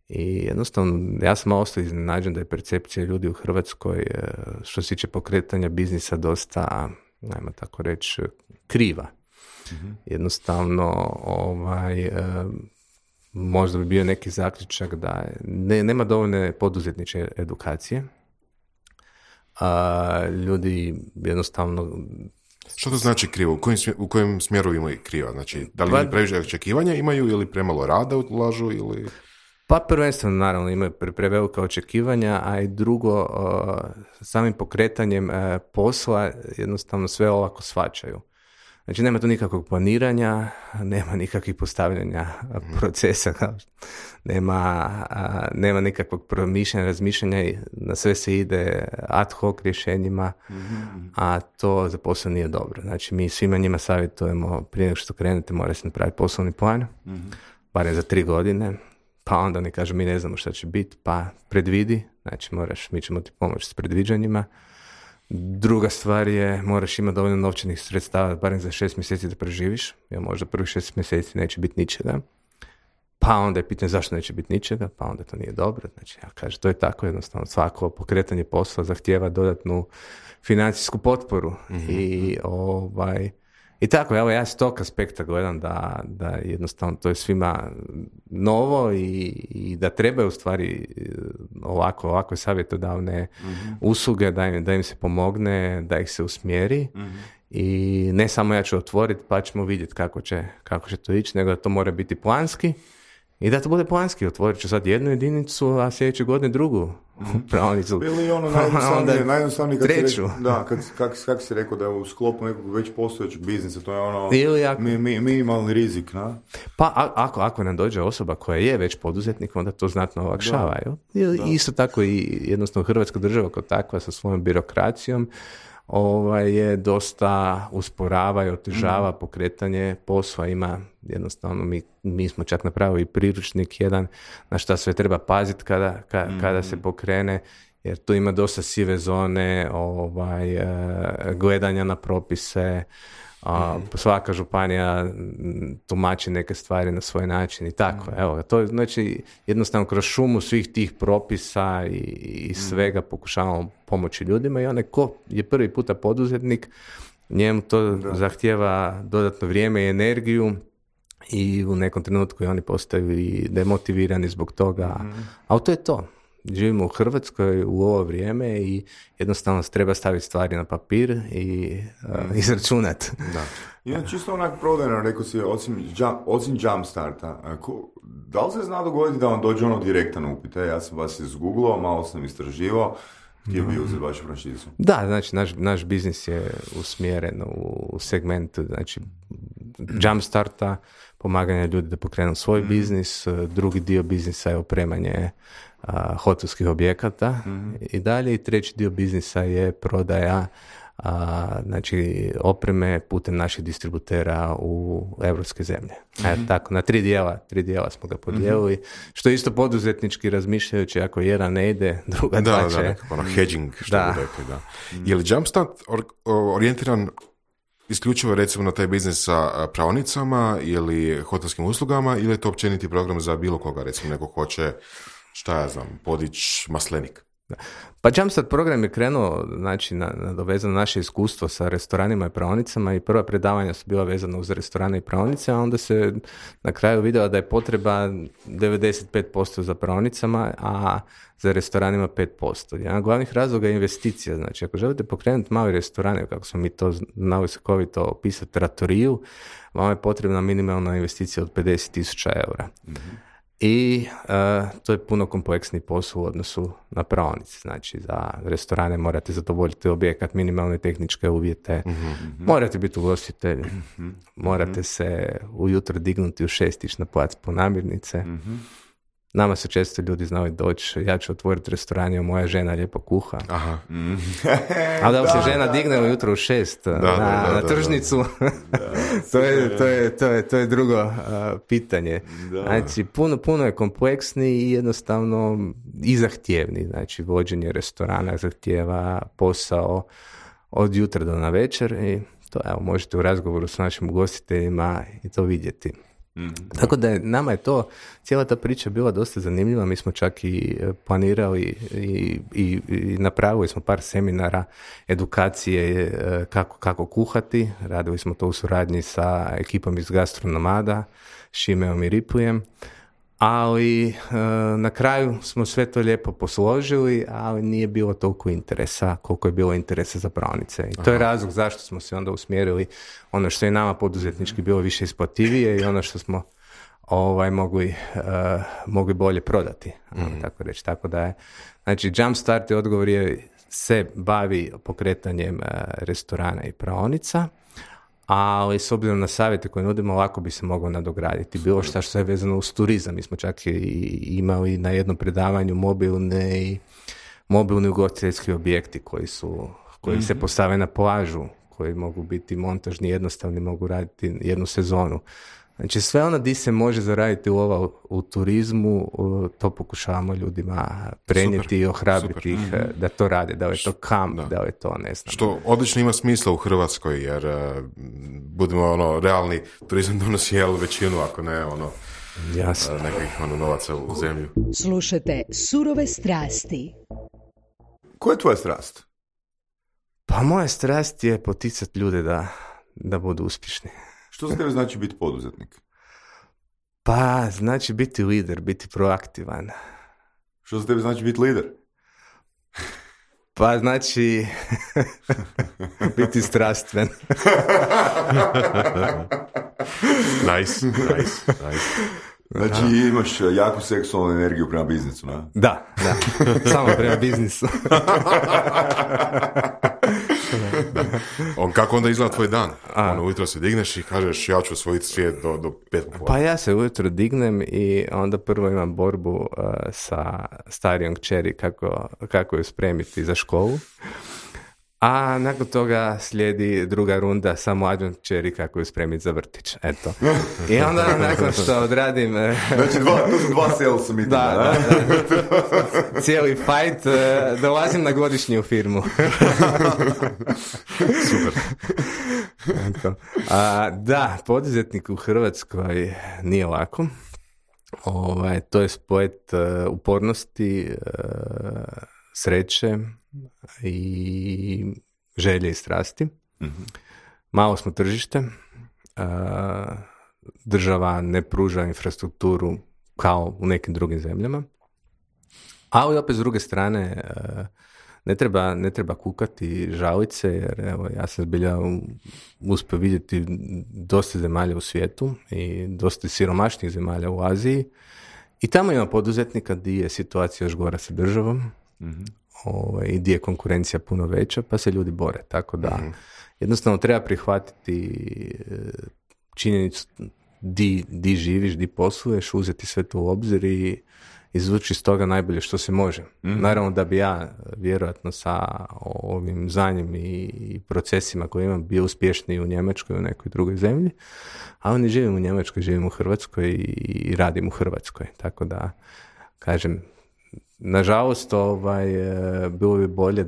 i jednostavno ja sam malo ostao iznenađen da je percepcija ljudi u Hrvatskoj što se tiče pokretanja biznisa dosta, ajmo tako reći, kriva. Jednostavno možda bi bio neki zaključak da nema dovoljne poduzetničke edukacije. Ljudi jednostavno... Što to znači krivo? U kojem smjeru imaju kriva? Znači, da li previše očekivanja imaju ili premalo rada ulažu ili... Pa prvenstveno naravno imaju prevelika očekivanja, a i drugo, samim pokretanjem posla jednostavno sve olako shvaćaju. Znači nema tu nikakvog planiranja, nema nikakvih postavljanja procesa, nema nikakvog promišljanja, razmišljanja, na sve se ide ad hoc rješenjima, a to za posao nije dobro. Znači mi svima njima savjetujemo prije nego što krenete mora se napraviti poslovni plan, barem za 3 godine, pa onda ne kažu mi ne znamo šta će biti, pa predvidi, znači mi ćemo ti pomoći s predviđanjima. Druga stvar je, moraš imati dovoljno novčanih sredstava, barem za 6 mjeseci da preživiš, jer možda prvih 6 mjeseci neće biti ničega. Pa onda je pitanje zašto neće biti ničega, pa onda to nije dobro. Znači, ja kažem, to je tako jednostavno. Svako pokretanje posla zahtijeva dodatnu financijsku potporu. I tako, evo ja s tog aspekta gledam da jednostavno to je svima novo i da trebaju u stvari ovakve savjetodavne usluge, da im se pomogne, da ih se usmjeri i ne samo ja ću otvoriti pa ćemo vidjeti kako će to ići, nego da to mora biti planski I da to bude planski, otvorit ću sad jednu jedinicu, a sljedeće godine drugu praonicu. Ili ono najjednostavnije kad treću. Kako si rekao da je u sklopu nekog već postojećeg biznisa, to je ono minimalni rizik, na? Pa ako nam dođe osoba koja je već poduzetnik, onda to znatno olakšava. Isto tako i jednostavno Hrvatska država kao takva sa svojom birokracijom je dosta usporava i otežava pokretanje posla. Ima jednostavno, mi smo čak napravili priručnik jedan na šta sve treba paziti kada se pokrene, jer tu ima dosta sive zone, gledanja na propise, svaka županija tumači neke stvari na svoj način i tako. Evo, to je znači jednostavno kroz šumu svih tih propisa i svega pokušavamo pomoći ljudima i onaj ko je prvi puta poduzetnik, njemu to zahtijeva dodatno vrijeme i energiju i u nekom trenutku i oni postaju i demotivirani zbog toga. Ali to je to. Živimo u Hrvatskoj u ovo vrijeme i jednostavno treba staviti stvari na papir i izračunati. I čisto onak prodajno, rekao si, osim Jumpstarta, da li se zna dogoditi da vam dođe ono direktan upit? Ja sam vas izgooglao, malo sam istraživao, htio bi uzeti vašu franšizu. Da, znači naš biznis je usmjeren u segment, znači Jumpstarta, pomaganje ljudi da pokrenu svoj biznis, drugi dio biznisa je opremanje hotelskih objekata i dalje, i treći dio biznisa je prodaja znači opreme putem naših distributera u europske zemlje. Tako, na tri dijela smo ga podijelili, što je isto poduzetnički razmišljajući, ako jedan ne ide, druga dva će. Nekako ono hedging, što bi rekli, da. Je li Jumpstart orijentiran isključivo recimo na taj biznis sa praonicama ili hotelskim uslugama, ili je to općeniti program za bilo koga, recimo neko hoće, šta ja znam, podići maslenik? Pa Jumpstart program je krenuo, znači, nadovezano naše iskustvo sa restoranima i praonicama i prva predavanja su bila vezana uz restorane i praonice, a onda se na kraju vidjela da je potreba 95% za praonicama, a za restoranima 5%. Jedan od glavnih razloga je investicija. Znači, ako želite pokrenuti mali restorane, kako smo mi to znali slikovito opisati, trattoriju, vam je potrebna minimalna investicija od 50.000 eura. I to je puno kompleksni posao u odnosu na praonice. Znači, za restorane morate zadovoljiti objekat, minimalne tehničke uvjete, morate biti ugostitelji, morate se ujutro dignuti u 6 ići na plac po namirnice. Nama su često ljudi znali doći, ja ću otvoriti restoran, jer moja žena lijepo kuha. A da se žena digne ujutro u 6 na tržnicu, to je drugo pitanje. Znači, puno je kompleksni i jednostavno i zahtjevni. Znači, vođenje restorana zahtijeva posao od jutra do navečer i to možete u razgovoru s našim ugostiteljima i to vidjeti. Tako da nama je to, cijela ta priča bila dosta zanimljiva. Mi smo čak i planirali i napravili smo par seminara edukacije kako kuhati. Radili smo to u suradnji sa ekipom iz Gastronomada, Šimeom i Ripujem. Ali na kraju smo sve to lijepo posložili, ali nije bilo toliko interesa koliko je bilo interesa za praonice. I to je razlog zašto smo se onda usmjerili ono što je nama poduzetnički bilo više isplativije i ono što smo mogli bolje prodati. Tako reći. Tako da je, znači, Jumpstart je odgovor se bavi pokretanjem restorana i praonica, ali s obzirom na savjete koje nudimo, lako bi se moglo nadograditi. Bilo što je vezano uz turizam. Mi smo čak i imali na jednom predavanju mobilni ugostiteljski objekti koji se postave na plažu, koji mogu biti montažni, jednostavni, mogu raditi jednu sezonu. Znači, sve ono di se može zaraditi u turizmu, to pokušavamo ljudima prenijeti i ohrabriti ih da to rade, da li je to kamp, da li je to, ne znam. Što odlično ima smisla u Hrvatskoj, jer budemo realni, turizam donosi većinu, ako ne nekih novaca u zemlju. Slušajte Surove strasti. Koja je tvoja strast? Pa moja strast je poticati ljude da budu uspješni. Što za tebe znači biti poduzetnik? Pa znači biti lider, biti proaktivan. Što za tebe znači biti lider? Pa znači biti strastven. Nice. Znači imaš jaku seksualnu energiju prema biznisu, ne? Da. Samo prema biznisu. Kako onda izgleda tvoj dan? Ujutro se digneš i kažeš ja ću osvojiti svijet do 5 popodne. Pa ja se ujutro dignem i onda prvo imam borbu sa starijom kćeri kako ju spremiti za školu. A nakon toga slijedi druga runda sa mlađom kćeri kako ju spremiti za vrtić. Eto. I onda nakon što odradim... Znači to su dva sales meetinga, da? Cijeli fight, dolazim na godišnji u firmu. Super. Eto. Da, poduzetnik u Hrvatskoj nije lako. To je spojit upornosti, sreće i želje i strasti. Mm-hmm. Malo smo tržište, država ne pruža infrastrukturu kao u nekim drugim zemljama, ali opet s druge strane ne treba kukati i žaliti se, jer evo, ja sam zbilja uspio vidjeti dosta zemalja u svijetu i dosta siromašnih zemalja u Aziji i tamo ima poduzetnika gdje je situacija još gora sa državom. Mm-hmm. I gdje je konkurencija puno veća, pa se ljudi bore. Tako da jednostavno treba prihvatiti činjenicu di živiš, di posluješ, uzeti sve to u obzir i izvući iz toga najbolje što se može. Naravno da bi ja vjerojatno sa ovim znanjem i procesima koje imam bio uspješniji u Njemačkoj, u nekoj drugoj zemlji, a oni živim u Njemačkoj, živim u Hrvatskoj i radim u Hrvatskoj. Tako da, kažem, nažalost, bilo bi bolje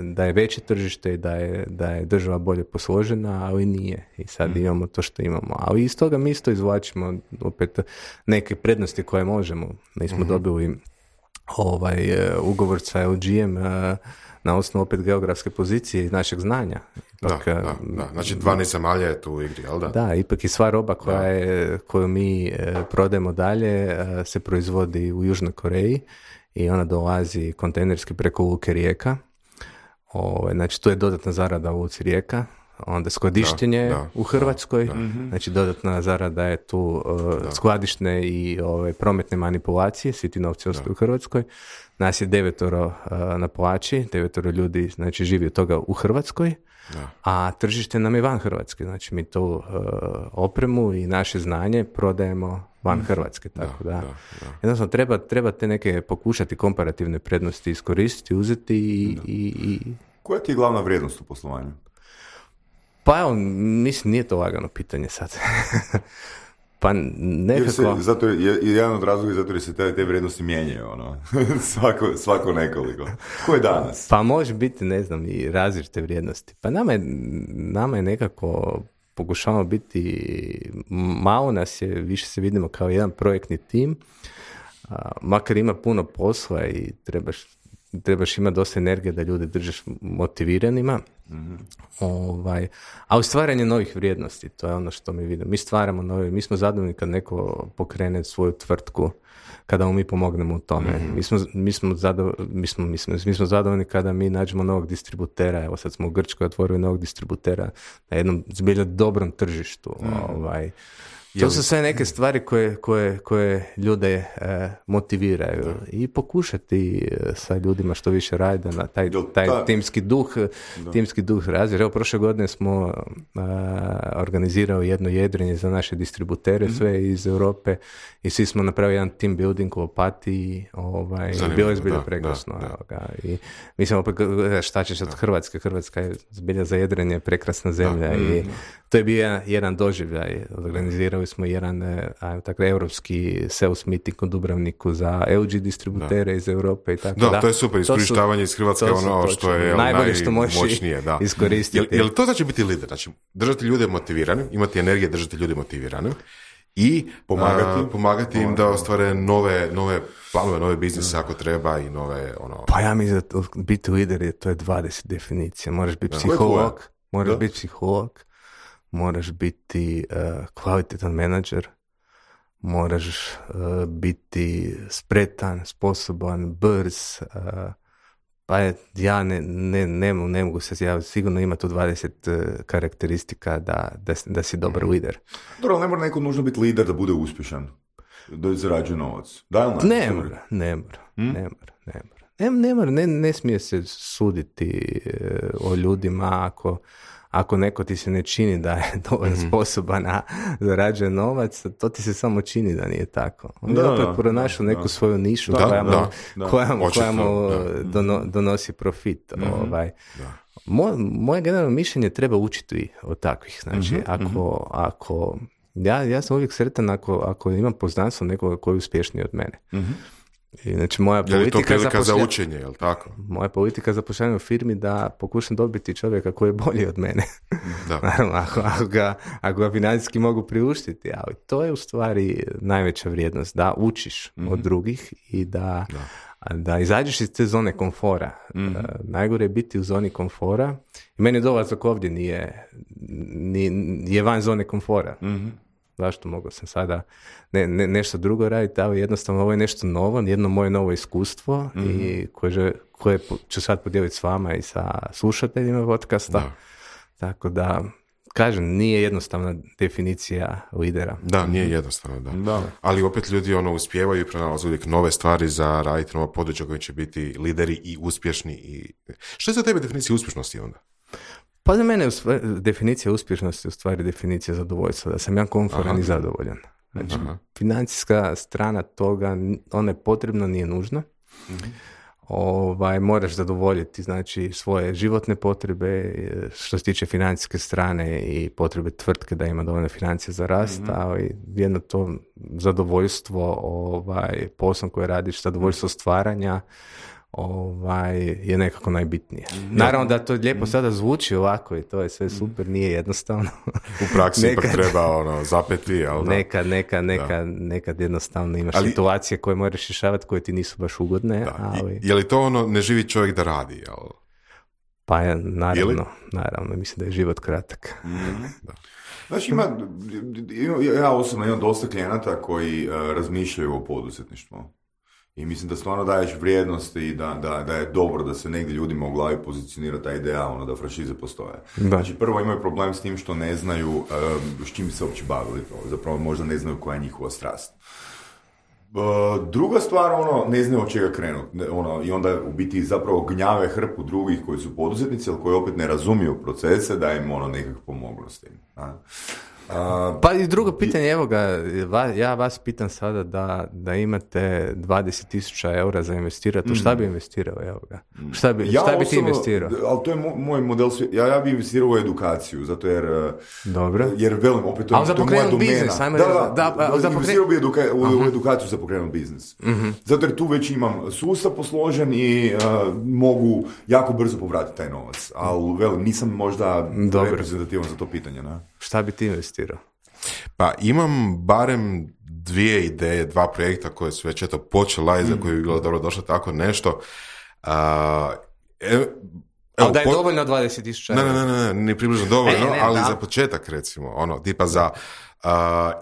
da je veće tržište i da je država bolje posložena, ali nije. I sad imamo to što imamo. Ali iz toga mi isto izvlačimo opet neke prednosti koje možemo. Mi smo dobili ugovor sa LG-em na osnovu opet geografske pozicije i našeg znanja. Ipak, da. Znači 12 zemalja je tu u igri, jel da? Da, ipak i sva roba koju mi prodajemo dalje se proizvodi u Južnoj Koreji i ona dolazi kontejnerski preko luke Rijeka. Znači tu je dodatna zarada u luci Rijeka, onda skladištenje u Hrvatskoj, znači dodatna zarada je tu skladišne i prometne manipulacije, svi ti novci ostaju u Hrvatskoj. Nas je 9 na plaći, 9 ljudi znači živi od toga u Hrvatskoj, a tržište nam je van Hrvatske, znači mi tu opremu i naše znanje prodajemo van Hrvatske, tako da. Jednostavno treba te neke pokušati komparativne prednosti iskoristiti, uzeti i... Koja ti je glavna vrijednost u poslovanju? Pa evo, mislim, nije to lagano pitanje sad. Pa nekako... Zato je jedan od razloga zato jer se te vrijednosti mijenjaju, svako nekoliko. Ko je danas? Pa može biti, ne znam, i različite vrijednosti. Pa nama je nekako pokušavamo biti, malo nas je, više se vidimo kao jedan projektni tim, makar ima puno posla i trebaš imati dosta energije da ljude držeš motiviranima, ali stvaranje novih vrijednosti, to je ono što mi vidimo. Mi stvaramo nove, mi smo zadovoljni kad neko pokrene svoju tvrtku, kada mu mi pomognemo u tome. Mi smo zadovoljni kada mi nađemo novog distributera, evo sad smo u Grčkoj otvorili novog distributera na jednom zbilja dobrom tržištu. To su sve neke stvari koje ljude motiviraju i pokušati sa ljudima što više radi na taj timski duh razvija. Evo, prošle godine smo organizirali jedno jedrenje za naše distributere, sve iz Europe i svi smo napravili jedan team building u Opatiji. Bilo je zbilja prekrasno. I mislim, opet, šta ćeš od Hrvatske? Hrvatska je zbilja za jedrenje prekrasna zemlja i to je bio jedan doživljaj. Organizirali smo jedan europski sales meeting u Dubrovniku za LG distributere iz Europe i tako da. Da, to je super, iskorištavanje iz Hrvatske ono što je najmoćnije. Iskoristiti. Jel to znači biti lider? Znači, držati ljude motivirane, imati energije, držati ljude motivirane i pomagati im da ostvare nove planove, nove biznise ako treba i nove Pa ja mislim da biti lider to je 20 definicija. Moraš biti psiholog, moraš biti kvalitetan menadžer, moraš biti spretan, sposoban, brz, pa ja ne mogu se, ja sigurno ima tu 20 karakteristika da si dobar lider. Dobro, ne mora neko nužno biti lider da bude uspješan. da zarađuje novac? Da li Ne mora. Ne smije se suditi o ljudima ako neko ti se ne čini da je dovoljno sposoban da zarađuje novac, to ti se samo čini da nije tako. On je opet pronašao neku svoju nišu koja mu donosi profit. Moje generalno mišljenje treba učiti od takvih. Znači, ako ja sam uvijek sretan ako imam poznanstvo nekoga koji je uspješniji od mene. I, znači, moja politika, je li to prilika za učenje, je li tako? Moja politika zapošljavanja u firmi da pokušam dobiti čovjeka koji je bolji od mene. Da. Naravno, ako ga financijski mogu priuštiti, ali to je u stvari najveća vrijednost, da učiš od drugih i da izađeš iz te zone komfora. Najgore je biti u zoni komfora. I meni dolazak ovdje nije van zone komfora. Zašto mogu sam sada nešto drugo raditi, ali jednostavno ovo je nešto novo, jedno moje novo iskustvo i koje ću sad podijeliti s vama i sa slušateljima podcasta. Da. Tako da, kažem, nije jednostavna definicija lidera. Da, nije jednostavno, da. Ali opet ljudi uspijevaju i pronalaze uvijek nove stvari za raditi nova područja koji će biti lideri i uspješni. Što je za tebe definicija uspješnosti onda? Pa za mene definicija uspješnosti je u stvari definicija zadovoljstva, da sam ja komforan i zadovoljan. Znači, financijska strana toga, ona je potrebna, nije nužna. Moraš zadovoljiti, znači, svoje životne potrebe što se tiče financijske strane i potrebe tvrtke da ima dovoljno financije za rast, ali jedno to zadovoljstvo poslom koje radiš, zadovoljstvo stvaranja, je nekako najbitnije. Naravno da to lijepo sada zvuči ovako i to je sve super, nije jednostavno. U praksi ipak treba zapeti, ali nekad jednostavno imaš situacije koje moraš rješavati koje ti nisu baš ugodne. Ali... Je li to ne živi čovjek da radi? Jel? Pa naravno, mislim da je život kratak. Znači, ja osobno imam dosta klijenata koji razmišljaju o poduzetništvu. I mislim da stvarno daješ vrijednosti i da je dobro da se negdje ljudima u glavi pozicionira ta ideja, da franšize postoje. Da. Znači, prvo imaju problem s tim što ne znaju s čim se uopće bavili. Zapravo možda ne znaju koja je njihova strast. Druga stvar, ne znaju od čega krenuti. I onda u biti zapravo gnjave hrpu drugih koji su poduzetnici, ali koji opet ne razumiju procese, da im nekako pomoglo s tim. Pa i drugo pitanje, evo ga, ja vas pitam sada da imate 20.000 eura za investirati, šta bi investirao, evo ga? Šta bi ti investirao? Ali to je moj model, ja bi investirao u edukaciju, zato jer velim, opet to je moja domena. Investirao bi u edukaciju za pokrenut biznis. Zato jer tu već imam sustav posložen i mogu jako brzo povratiti taj novac, ali velim, nisam možda reprezentativan za to pitanje. Šta bi ti investirao? Pa imam barem 2 ideje, 2 projekta koje su već počela i za koje bi bilo dobro došlo tako nešto. Da je dovoljno 20.000 eura? Ne, ni približno dovoljno, ali za početak recimo, tipa za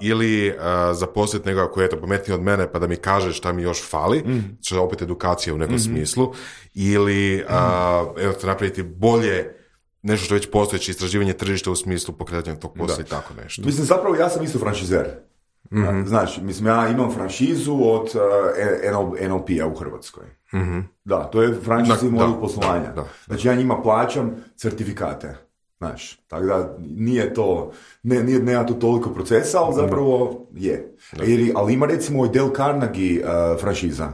ili zaposliti nekoga koji je pametniji od mene pa da mi kaže šta mi još fali, što je opet edukacija u nekom smislu, ili napraviti bolje nešto što već postojeće istraživanje tržišta u smislu pokretanja tog posla i tako nešto. Mislim, zapravo ja sam isto franšizer. Znači, ja imam franšizu od NLP-a u Hrvatskoj. Da, to je franšizi model poslovanja. Znači, ja njima plaćam certifikate. Znaš, tako da nije to, nema to toliko procesa, ali zapravo je. Ali ima recimo Dale Carnegie franšiza.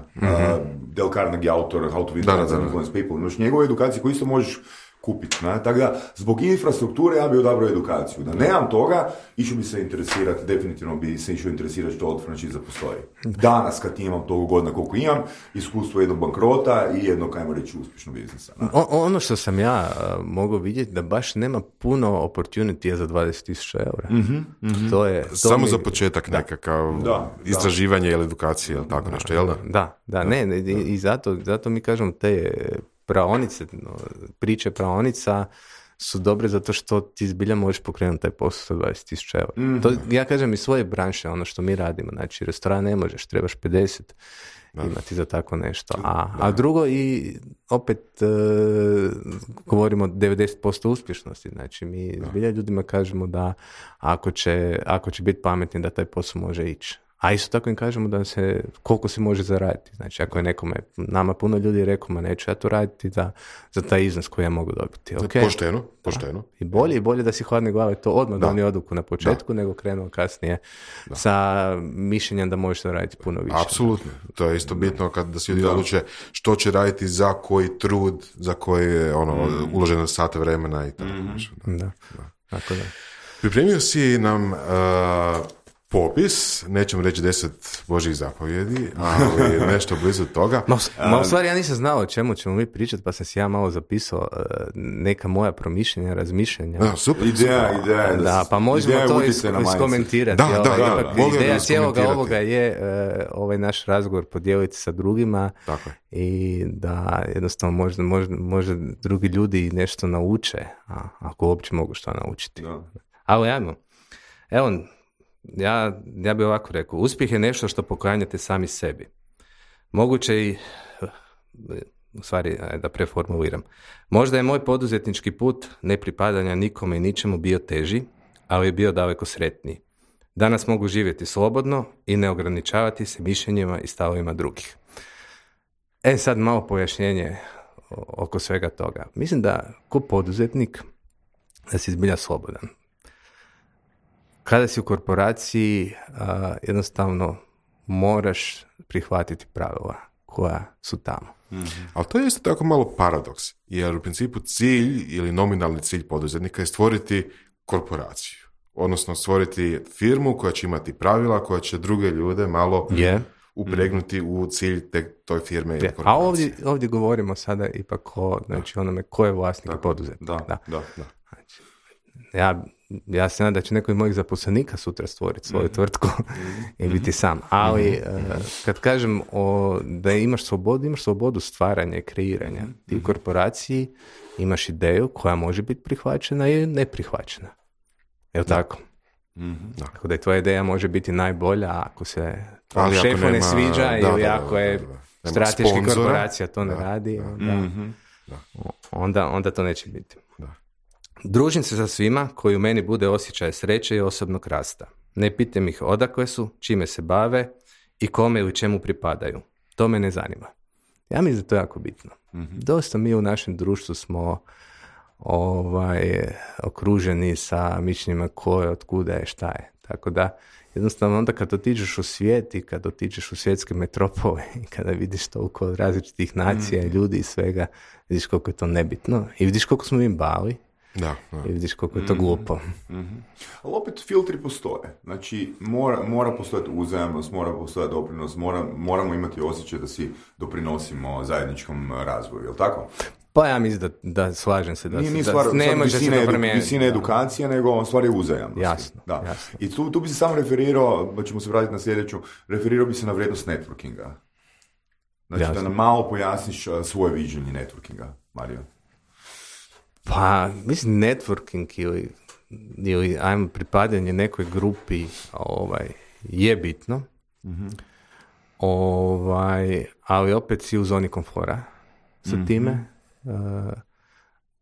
Dale Carnegie autor How to Win Influence People. Znači, njegove edukacije koje isto možeš kupiti. Tako da, zbog infrastrukture ja bi odabrao edukaciju. Da nemam toga, išao bi se interesirati, definitivno bi se išao interesirati što od franšiza postoji. Danas, kad imam toliko godina koliko imam, iskustvo jednog bankrota i jednog, ajmo reći, uspješnog biznisa. Ono što sam ja mogao vidjeti, da baš nema puno opportunity za 20.000 eura. To je, samo za početak nekakav istraživanje ili edukacija ili tako nešto, jel da? Da, ne, i zato mi kažem te praonice, priče praonica su dobre zato što ti zbilja možeš pokrenuti taj posao sa 20.000 eura. To, ja kažem iz svoje branše, ono što mi radimo, znači restoran ne možeš, trebaš 50 imati za tako nešto. A drugo, i opet govorimo o 90% uspješnosti, znači mi zbilja ljudima kažemo da ako će biti pametni da taj posao može ići. A isto tako im kažemo da koliko se može zaraditi. Znači, ako je nama puno ljudi rekao, ma neću ja to raditi za taj iznos koji ja mogu dobiti. Okay. Pošteno. I bolje da si hladne glave to odmah donio odluku na početku, nego krenuo kasnije sa mišljenjem da možeš raditi puno više. Apsolutno. To je isto bitno da si ljudi odluče što će raditi za koji trud, za koji je uloženo sate vremena i tako. Da. Tako da. Pripremio si nam popis, nećemo reći 10 Božjih zapovjedi, ali nešto blizu toga. U stvari ja nisam znao o čemu ćemo mi pričati, pa sam si ja malo zapisao neka moja promišljenja, razmišljanja. Super. Ideja. Da, pa možemo to iskomentirati. Ideja cijeloga ovoga je ovaj naš razgovor podijeliti sa drugima. Tako. I da jednostavno možda drugi ljudi nešto nauče, ako uopće mogu što naučiti. Da. Ali evo, ja bih ovako rekao, uspjeh je nešto što poklanjate sami sebi. Moguće i, u stvari, da preformuliram, možda je moj poduzetnički put nepripadanja nikome i ničemu bio teži, ali je bio daleko sretniji. Danas mogu živjeti slobodno i ne ograničavati se mišljenjima i stavovima drugih. Sad malo pojašnjenje oko svega toga. Mislim da ko poduzetnik da si zbilja slobodan. Kada si u korporaciji, jednostavno moraš prihvatiti pravila koja su tamo. Mm-hmm. Ali to je isto tako malo paradoks, jer u principu cilj ili nominalni cilj poduzetnika je stvoriti korporaciju. Odnosno stvoriti firmu koja će imati pravila, koja će druge ljude malo upregnuti u cilj toj firme ili korporacije. A ovdje govorimo sada ipak o onome ko je vlasnik i poduzetnik. Da. Znači, ja se nadam da će neko od mojih zaposlenika sutra stvoriti svoju tvrtku i biti sam. Ali kad kažem da imaš slobodu stvaranja i kreiranja. Ti u korporaciji imaš ideju koja može biti prihvaćena i neprihvaćena. Je li tako? Tako da i tvoja ideja može biti najbolja ako se šefu ne sviđa ili ako je strateški korporacija to ne radi. Onda to neće biti. Družim se sa svima koji u meni bude osjećaj sreće i osobnog rasta. Ne pitam ih odakle su, čime se bave i kome ili čemu pripadaju. To me ne zanima. Ja mislim da to je jako bitno. Dosta mi u našem društvu smo okruženi sa mišljenjima ko je, otkuda je, šta je. Tako da jednostavno onda kad otiđeš u svijet i kad otiđeš u svjetske metropole i kada vidiš toliko različitih nacija i ljudi i svega, vidiš koliko je to nebitno i vidiš koliko smo mi bali. Da. I vidiš koliko je to glupo. Ali opet filtri postoje. Znači, mora postojati uzajamnost, mora postojati doprinos, moramo imati osjećaj da si doprinosimo zajedničkom razvoju, je li tako? Pa ja mislim da slažem se. Nije stvar visine edukacije, nego stvar je uzajamnost. Jasno. I tu bi se samo referirao, pa ćemo se vratiti na sljedeću, referirao bi se na vrijednost networkinga. Znači, da nam malo pojasniš svoje viđenje networkinga, Mario. Pa, mislim, networking ili ajmo pripadanje nekoj grupi je bitno, ali opet si u zoni komfora sa time.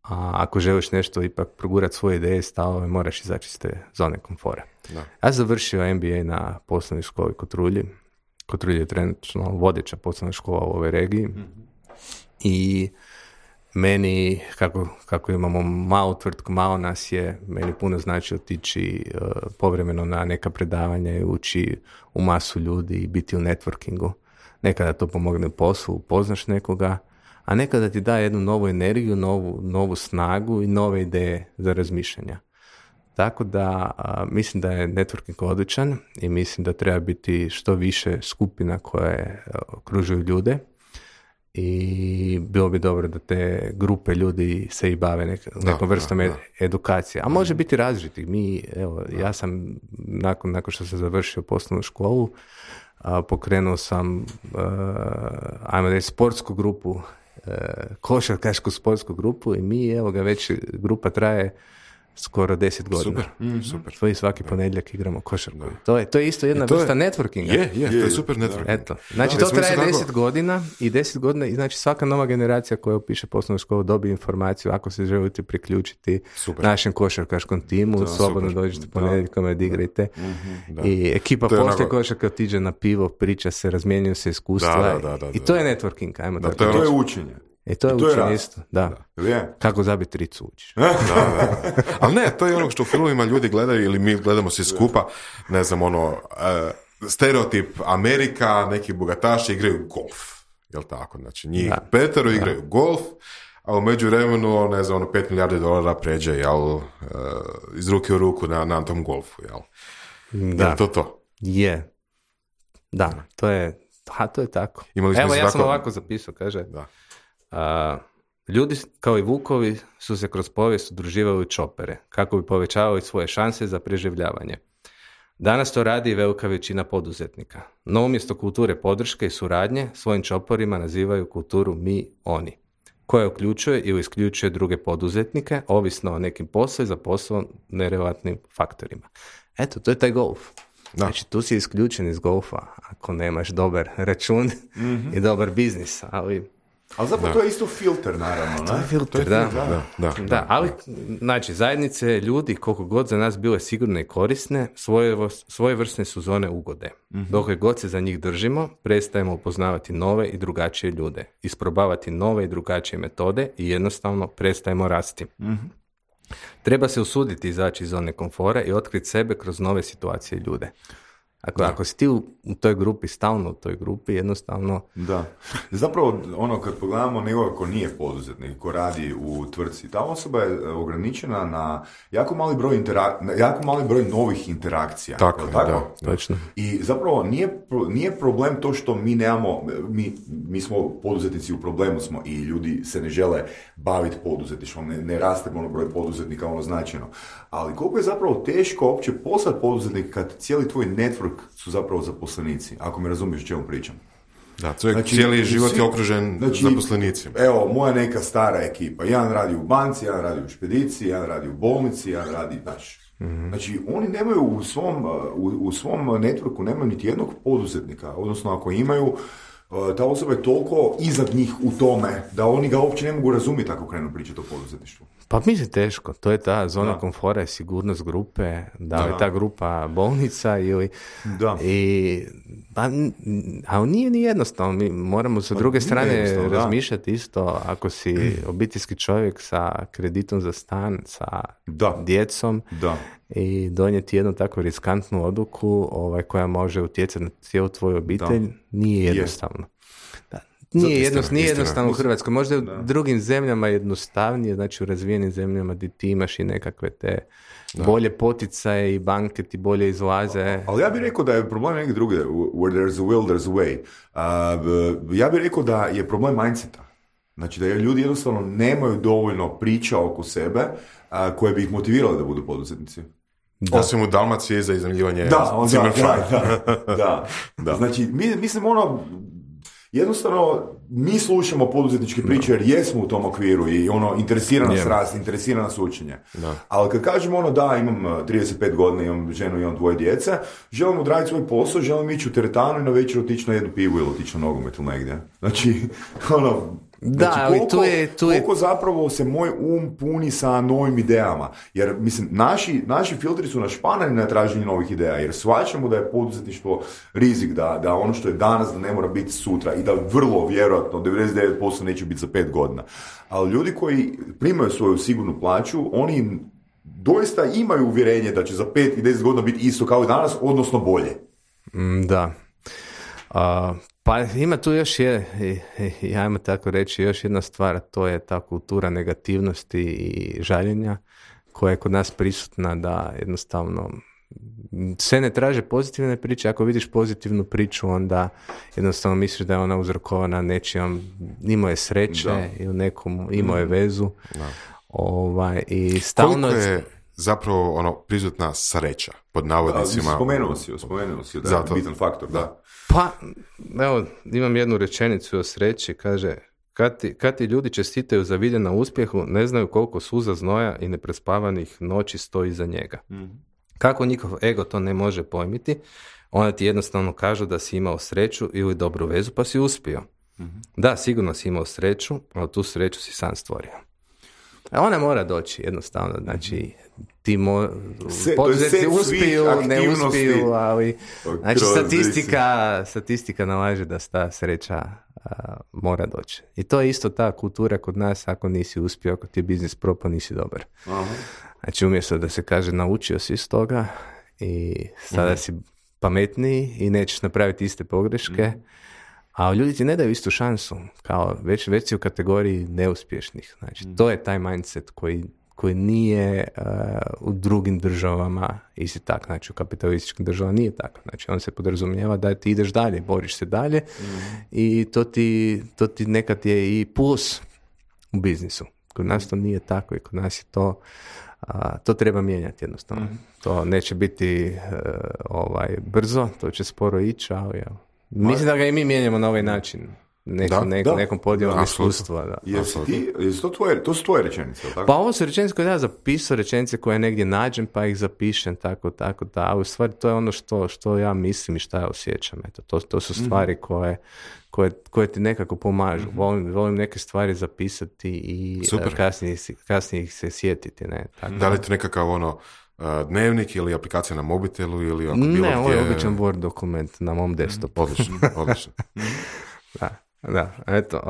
A ako želiš nešto ipak progurati svoje ideje, stavove, moraš izaći iz te zone komfora. Da. Ja sam završio MBA na poslovnoj školi Kotrulji. Kotrulji je trenutno vodeća poslovna škola u ovoj regiji. I meni, kako imamo malu tvrtku, malo nas je, meni puno znači otići povremeno na neka predavanja i ući u masu ljudi i biti u networkingu. Nekada to pomogne u poslu, upoznaš nekoga, a nekada ti da jednu novu energiju, novu snagu i nove ideje za razmišljanja. Tako da mislim da je networking odličan i mislim da treba biti što više skupina koje okružuju ljude. I bilo bi dobro da te grupe ljudi se i bave nekom vrstom edukacije. A može biti različitih. Ja sam, nakon što sam završio poslovnu školu, pokrenuo sam, ajmo reći, sportsku grupu, košarkašku sportsku grupu i već grupa traje skoro 10 godina. Super. To i svaki ponedjeljak igramo košarku. To je isto jedna vrsta networkinga. Je, to je super networking. Eto. Znači, to traje 10 godina i 10 godina, i znači svaka nova generacija koja upiše poslovnu školu dobije informaciju ako se želite priključiti našem košarkaškom timu, slobodno dođete ponedjeljkom, odigrajte. I ekipa poslije košarka otiđe na pivo, priča se, razmjenjuju se iskustva. I to je networking, ajmo tako. To je učenje. To je učenje isto, da. Kako zabiti tricu učiš. Ali ne, to je ono što u filmovima ljudi gledaju ili mi gledamo svi skupa, ne znam, stereotip Amerika, neki bogataši igraju golf, jel tako? Znači, njih petero igraju golf, a u međuvremenu, ne znam, $5 milijardi pređe, jel, iz ruke u ruku na tom golfu, jel? Da. Jel to? Je. Da, to je tako. Evo, ja sam ovako zapisao, kaže... Da. Ljudi kao i vukovi su se kroz povijest udruživali u čopere kako bi povećavali svoje šanse za preživljavanje. Danas to radi i velika većina poduzetnika. No umjesto kulture podrške i suradnje svojim čoporima nazivaju kulturu mi-oni, koja uključuje ili isključuje druge poduzetnike ovisno o nekim poslu za posao nerelevantnim faktorima. Eto, to je taj golf. Znači, tu si isključen iz golfa ako nemaš dobar račun i dobar biznis, ali zapravo to je isto filter, naravno. To je filter, da. Ali, znači, zajednice ljudi, koliko god za nas bile sigurne i korisne, svojevrsne su zone ugode. Dok god se za njih držimo, prestajemo upoznavati nove i drugačije ljude, isprobavati nove i drugačije metode i jednostavno prestajemo rasti. Treba se usuditi izaći iz zone komfora i otkriti sebe kroz nove situacije i ljude. Ako si ti u toj grupi, stalno u toj grupi, jednostavno... Da. Zapravo, kad pogledamo nekoga ko nije poduzetnik, ko radi u tvrtci, ta osoba je ograničena na jako mali broj novih interakcija. Tako? Točno. I zapravo nije problem to što mi nemamo, mi smo poduzetnici, u problemu smo i ljudi se ne žele baviti poduzetništvom, ne raste broj poduzetnika značajno. Ali koliko je zapravo teško uopće postati poduzetnik kad cijeli tvoj network su zapravo zaposlenici, ako me razumiješ o čemu pričam. Da, cijeli život je okružen zaposlenicima. Evo, moja neka stara ekipa, jedan radi u banci, jedan radi u špediciji, jedan radi u bolnici, jedan radi, Znači, oni nemaju u svom networku nemaju niti jednog poduzetnika, odnosno ako imaju, ta osoba je toliko iznad njih u tome da oni ga uopće ne mogu razumjeti ako krenu pričati o poduzetništvu. Pa mislim teško, to je ta zona komfora i sigurnost grupe, da je ta grupa bolnica ili... Ali nije ni jednostavno, mi moramo sa druge strane razmišljati isto, ako si obiteljski čovjek sa kreditom za stan, sa djecom i donijeti jednu tako riskantnu odluku koja može utjecati na cijelu tvoju obitelj, nije jednostavno. Nije jednostavno u Hrvatskoj. Možda u drugim zemljama jednostavnije, znači u razvijenim zemljama gdje ti imaš i nekakve te bolje poticaje i banke ti bolje izlaze. Ali ja bih rekao da je problem negdje drugdje. Where there's a will, there's a way. Ja bih rekao da je problem mindseta. Znači da ljudi jednostavno nemaju dovoljno priča oko sebe koje bi ih motivirale da budu poduzetnici. Osim u Dalmaciji za iznajmljivanje Da. Znači, mislim jednostavno mi slušamo poduzetničke priče jer jesmo u tom okviru i interesira nas rast, interesira nas učenje. Ali kad kažemo imam 35 godina, imam ženu, imam 2 djece, želim odraditi svoj posao, želim ići u teretanu i na večer otići na jednu pivu ili otići na nogomet ili negdje. Znači, ali koliko zapravo se moj puni sa novim idejama. Jer, mislim, naši filtri su našpanani na traženje novih ideja, jer shvaćamo da je poduzetništvo rizik, da ono što je danas da ne mora biti sutra i da vrlo vjerojatno 99% neće biti za 5 godina. Ali ljudi koji primaju svoju sigurnu plaću, oni doista imaju uvjerenje da će za 5 i 10 godina biti isto kao i danas, odnosno bolje. Da. Pa ima tu još ajmo tako reći, još jedna stvar, to je ta kultura negativnosti i žaljenja koja je kod nas prisutna, da jednostavno sve ne traže pozitivne priče. Ako vidiš pozitivnu priču, onda jednostavno misliš da je ona uzrokovana nečijom, imao je sreće ili nekom imao je vezu. I stalno... Koliko je zapravo prisutna sreća, pod navodnicima? Spomenuo si da je bitan faktor, da. Pa, evo, imam jednu rečenicu o sreći, kaže, Kad ti ljudi čestitaju za vidje na uspjehu, ne znaju koliko suza, znoja i neprespavanih noći stoji iza njega. Kako njihov ego to ne može pojmiti, onda ti jednostavno kažu da si imao sreću ili dobru vezu pa si uspio. Da, sigurno si imao sreću, ali tu sreću si sam stvorio. A ona mora doći jednostavno, znači ti poduzetnici uspiju, ne uspiju, ali znači statistika nalaže da ta sreća mora doći. I to je isto ta kultura kod nas, ako nisi uspio, ako ti je biznis propao, nisi dobar. Aha. Znači umjesto da se kaže naučio si iz toga i sada si pametniji i nećeš napraviti iste pogreške, a ljudi ti ne daju istu šansu, kao već si u kategoriji neuspješnih. Znači, to je taj mindset koji nije u drugim državama isti tak. Znači, u kapitalističkim državama nije tako. Znači, on se podrazumijeva da ti ideš dalje, boriš se dalje i to ti nekad je i plus u biznisu. Kod nas to nije tako i kod nas je to treba mijenjati jednostavno. To neće biti brzo, to će sporo ići, ali mislim da ga i mi mijenjamo na ovaj način. Nekom podjelom iskustva. To su tvoje rečenice, tako? Pa ovo su rečenice koje ja zapisao, rečenice koje negdje nađem pa ih zapišem, tako da. A u stvari to je ono što ja mislim i što ja osjećam. Eto, to su stvari koje ti nekako pomažu. Volim neke stvari zapisati i kasnije ih se sjetiti. Ne? Tako. Da li je to nekakav dnevnik ili aplikacija na mobitelu ili ako bilo ne, ovo je običan Word dokument na mom desktopu. Odlično. Da, eto,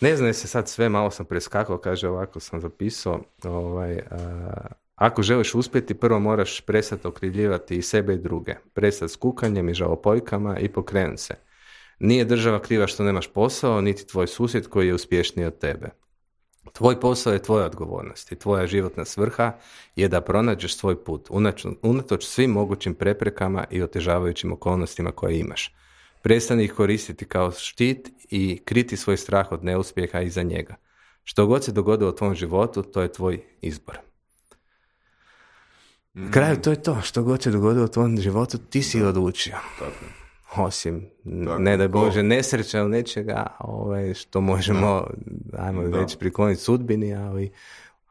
ne znam se sad sve, malo sam preskakao, kaže ovako sam zapisao, ako želiš uspjeti, prvo moraš prestati okrivljivati i sebe i druge, prestati s kukanjem i žalopojkama i pokrenuti se. Nije država kriva što nemaš posao, niti tvoj susjed koji je uspješniji od tebe. Tvoj posao je tvoja odgovornost i tvoja životna svrha je da pronađeš svoj put, unatoč svim mogućim preprekama i otežavajućim okolnostima koje imaš. Prestani ih koristiti kao štit i kriti svoj strah od neuspjeha iza njega. Što god se dogodilo u tvom životu, to je tvoj izbor. Kraju, to je to. Što god se dogodilo u tvom životu, ti si odlučio. Osim, ne daj Bože, nesreća ili nečega, što možemo, reći, prikloniti sudbini, ali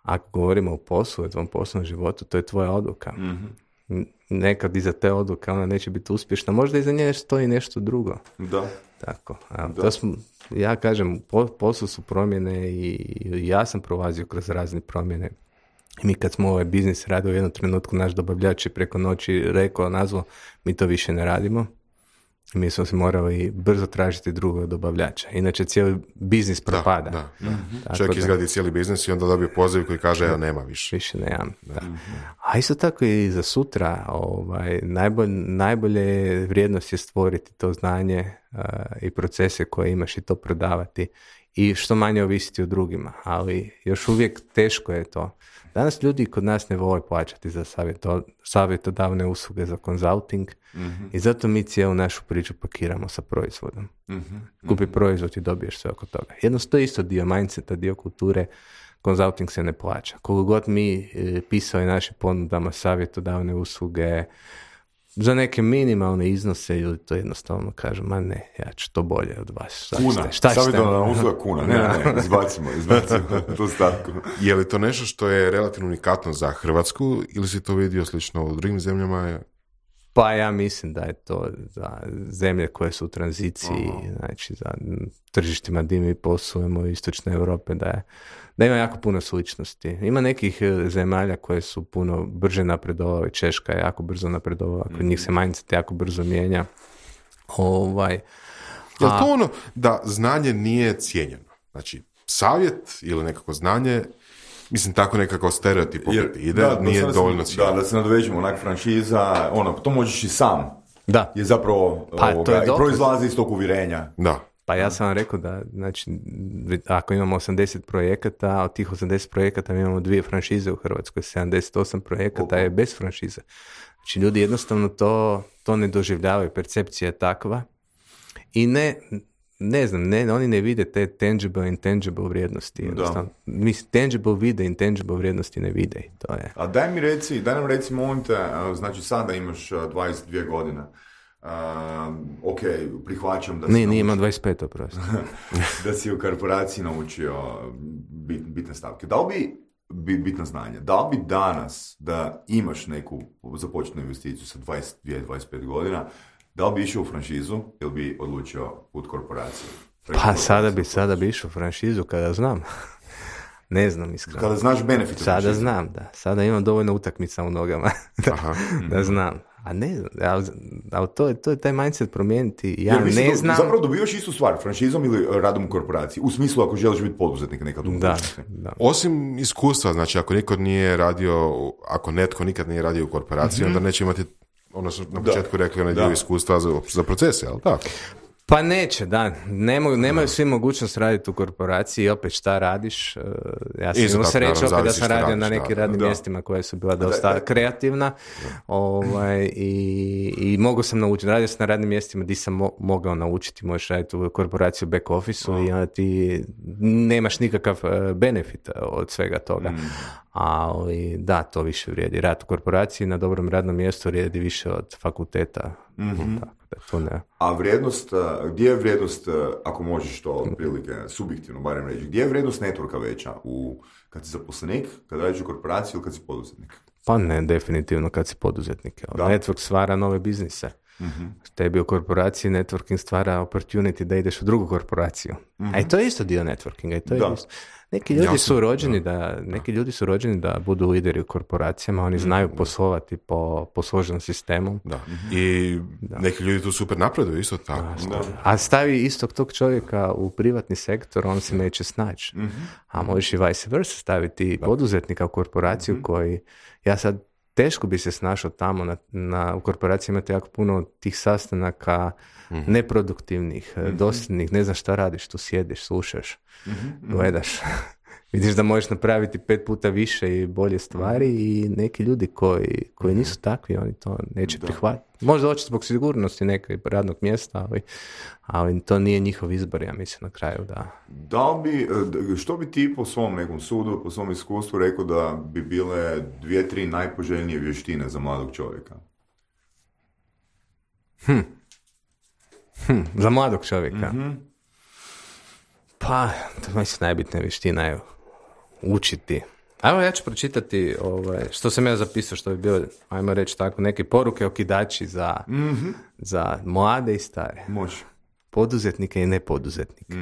ako govorimo o poslu, o tvom poslovnom životu, to je tvoja odluka. Nekad iza te odluke ona neće biti uspješna, možda iza nje stoji nešto drugo. Da. Tako. Ja kažem, poslu su promjene i ja sam prolazio kroz razne promjene. I mi kad smo ovaj biznis radili u jednom trenutku, naš dobavljač je preko noći nazvao, mi to više ne radimo. I mi smo se morali brzo tražiti drugog dobavljača. Inače cijeli biznis propada. Da. Čovjek izgradi cijeli biznis i onda dobije poziv koji kaže ja nema više. Više nemam. Da. A isto tako i za sutra najbolje vrijednost je stvoriti to znanje i procese koje imaš i to prodavati i što manje ovisiti o drugima. Ali još uvijek teško je to. Danas ljudi kod nas ne vole plaćati za savjetodavne usluge, za consulting i zato mi cijelu našu priču pakiramo sa proizvodom. Kupi proizvod i dobiješ sve oko toga. Jednostavno to je isto dio mindseta, dio kulture, consulting se ne plaća. Koliko god mi pisali naše ponudama savjetodavne usluge za neke minimalne iznose ili to jednostavno kažu, ma ne, ja ću to bolje od vas. Savjetodavna usluga kuna, ne, izbacimo tu stavku. Je li to nešto što je relativno unikatno za Hrvatsku ili si to vidio slično u drugim zemljama? Pa ja mislim da je to za zemlje koje su u tranziciji, znači za tržištima gdje mi poslujemo u istočne Europe, da ima jako puno sličnosti. Ima nekih zemalja koje su puno brže napredovale, Češka je jako brzo napredovala, kod njih se mindset jako brzo mijenja. Je li to ono da znanje nije cijenjeno? Znači, savjet ili nekako znanje, mislim, tako nekako stereotip ide, nije dovoljno cijenjeno. Da se nadovežemo, onak franšiza, to možeš i sam. Da. Je zapravo proizlazi iz tog uvjerenja. Da. Pa ja sam vam rekao da, znači, ako imamo 80 projekata, od tih 80 projekata mi imamo 2 franšize u Hrvatskoj, 78 projekata je bez franšize. Znači, ljudi jednostavno to ne doživljavaju, percepcija je takva i ne znam, oni ne vide te tangible, intangible vrijednosti. Jednostavno. Tangible vide, intangible vrijednosti ne vide. To je. A daj nam reci, molim te, znači sada imaš 22 godina. ok, prihvaćam da Nije ima 25 prosto. da si u korporaciji naučio bitne stavke. Da li bi bitna znanja? Da li bi danas da imaš neku započetnu investiciju sa 22-25 godina, da li bi išao u franšizu ili bi odlučio put korporacije? Pa sada bi išao u franšizu kada znam. Ne znam iskreno. Kada znaš benefite. Sada znam, da. Sada imam dovoljno utakmica u nogama da znam. A ne znam, ali to je taj mindset promijeniti. Ja ne znam. Zapravo dobivaš istu stvar, franšizom ili radom u korporaciji. U smislu ako želiš biti poduzetnik nekad u budućnosti. Da. Osim iskustva, znači ako netko nikad nije radio u korporaciji, onda neće imati, ono što na početku rekli, onaj dio iskustva za procese, ali tako? Pa neće, da. Nemaju svi mogućnost raditi u korporaciji i opet šta radiš. Ja sam imao sreću opet da sam radio na nekim radnim mjestima koja su bila dosta kreativna. I mogao sam naučiti. Radio sam na radnim mjestima gdje sam mogao naučiti. Možeš raditi u korporaciju back office-u i onda ti nemaš nikakav benefit od svega toga. Ali da, to više vrijedi. Rad u korporaciji na dobrom radnom mjestu vrijedi više od fakulteta. Tako da to ne. A vrijednost, gdje je vrijednost, ako možeš to otprilike subjektivno barem reći, gdje je vrijednost networka veća? Kad si zaposlenik, kad radiš u korporaciji ili kad si poduzetnik? Pa ne, definitivno kad si poduzetnik. Network stvara nove biznise. Tebi u korporaciji networking stvara opportunity da ideš u drugu korporaciju. A i to je isto dio networkinga. I to je isto. Neki ljudi su rođeni da budu lideri u korporacijama, oni znaju poslovati po složenom sistemu. Da. I neki ljudi tu super napreduju, isto tako. A stavi istog tog čovjeka u privatni sektor, on se neće snaći. A možeš i vice versa staviti poduzetnika u korporaciju koji, ja sad teško bi se snašao tamo, u korporaciji imate jako puno tih sastanaka neproduktivnih, dosljednih, ne znaš šta radiš, tu sjediš, slušaš, gledaš. Vidiš da možeš napraviti 5 puta više i bolje stvari i neki ljudi koji nisu takvi, oni to neće prihvatiti. Možda hoće zbog sigurnosti nekog radnog mjesta, ali to nije njihov izbor, ja mislim, na kraju, da. Što bi ti po svom nekom sudu, po svom iskustvu rekao da bi bile 2-3 najpoželjnije vještine za mladog čovjeka? Za mladog čovjeka? Pa, to mislim najbitnija vještina je učiti. Evo ja ću pročitati što sam ja zapisao, što bi bilo, ajmo reći tako, neke poruke okidači za mlade i stare. Može. Poduzetnike i nepoduzetnike.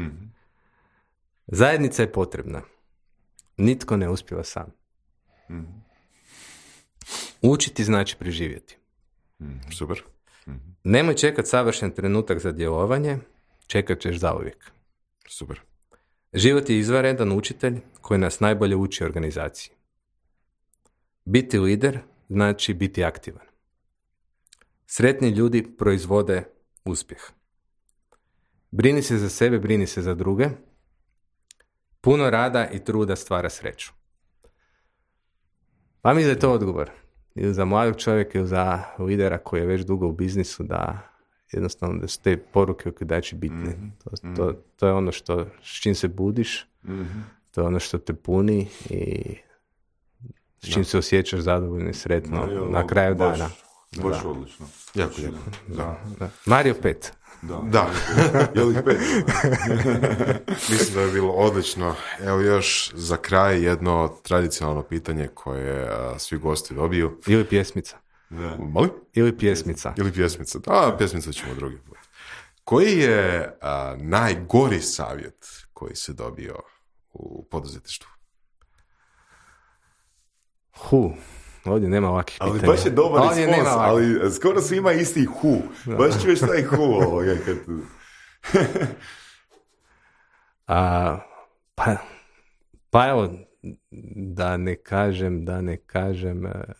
Zajednica je potrebna. Nitko ne uspijeva sam. Učiti znači preživjeti. Super. Nemoj čekati savršen trenutak za djelovanje, čekat ćeš zauvijek. Super. Život je izvanredan učitelj koji nas najbolje uči organizaciji. Biti lider znači biti aktivan. Sretni ljudi proizvode uspjeh. Brini se za sebe, brini se za druge. Puno rada i truda stvara sreću. Pa mi da je to odgovor. Ili za mladog čovjeka ili za lidera koji je već dugo u biznisu, da jednostavno da su te poruke okidači bitne. To je ono s čim se budiš, to je ono što te puni i s čim se osjećaš zadovoljno i sretno na kraju dana. Baš odlično. Jako lijepo. Da. Mario 5. Da. Je li 5? Mislim da je bilo odlično. Evo još za kraj jedno tradicionalno pitanje koje svi gosti dobiju. Ili pjesmica. Moli? Ili pjesmica. Da, pjesmica ćemo drugi put. Koji je najgori savjet koji se dobio u poduzetništvu? Ovdje nema ovakvih pitanja. Ali baš je dobar respons, ali skoro svi ima isti hu. Baš čuješ taj hu ovoga. Pa evo, da ne kažem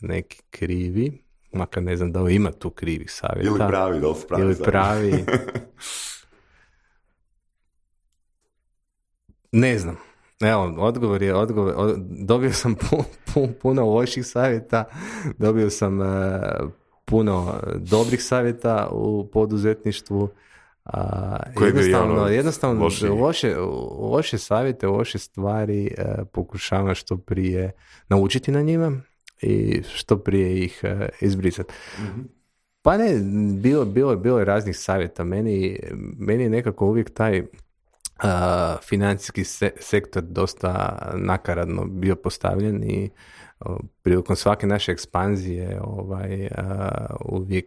neki krivi, makar ne znam da li ima tu krivih savjeta. Ili pravi, da li su pravi. Ili pravi. Ne znam. Evo, odgovor je, dobio sam puno loših savjeta, dobio sam puno dobrih savjeta u poduzetništvu. Jednostavno loše savjete, loše stvari pokušavam što prije naučiti na njima i što prije ih izbrisati. Pa ne, bilo je raznih savjeta. Meni je nekako uvijek taj financijski sektor dosta nakaradno bio postavljen i prilikom svake naše ekspanzije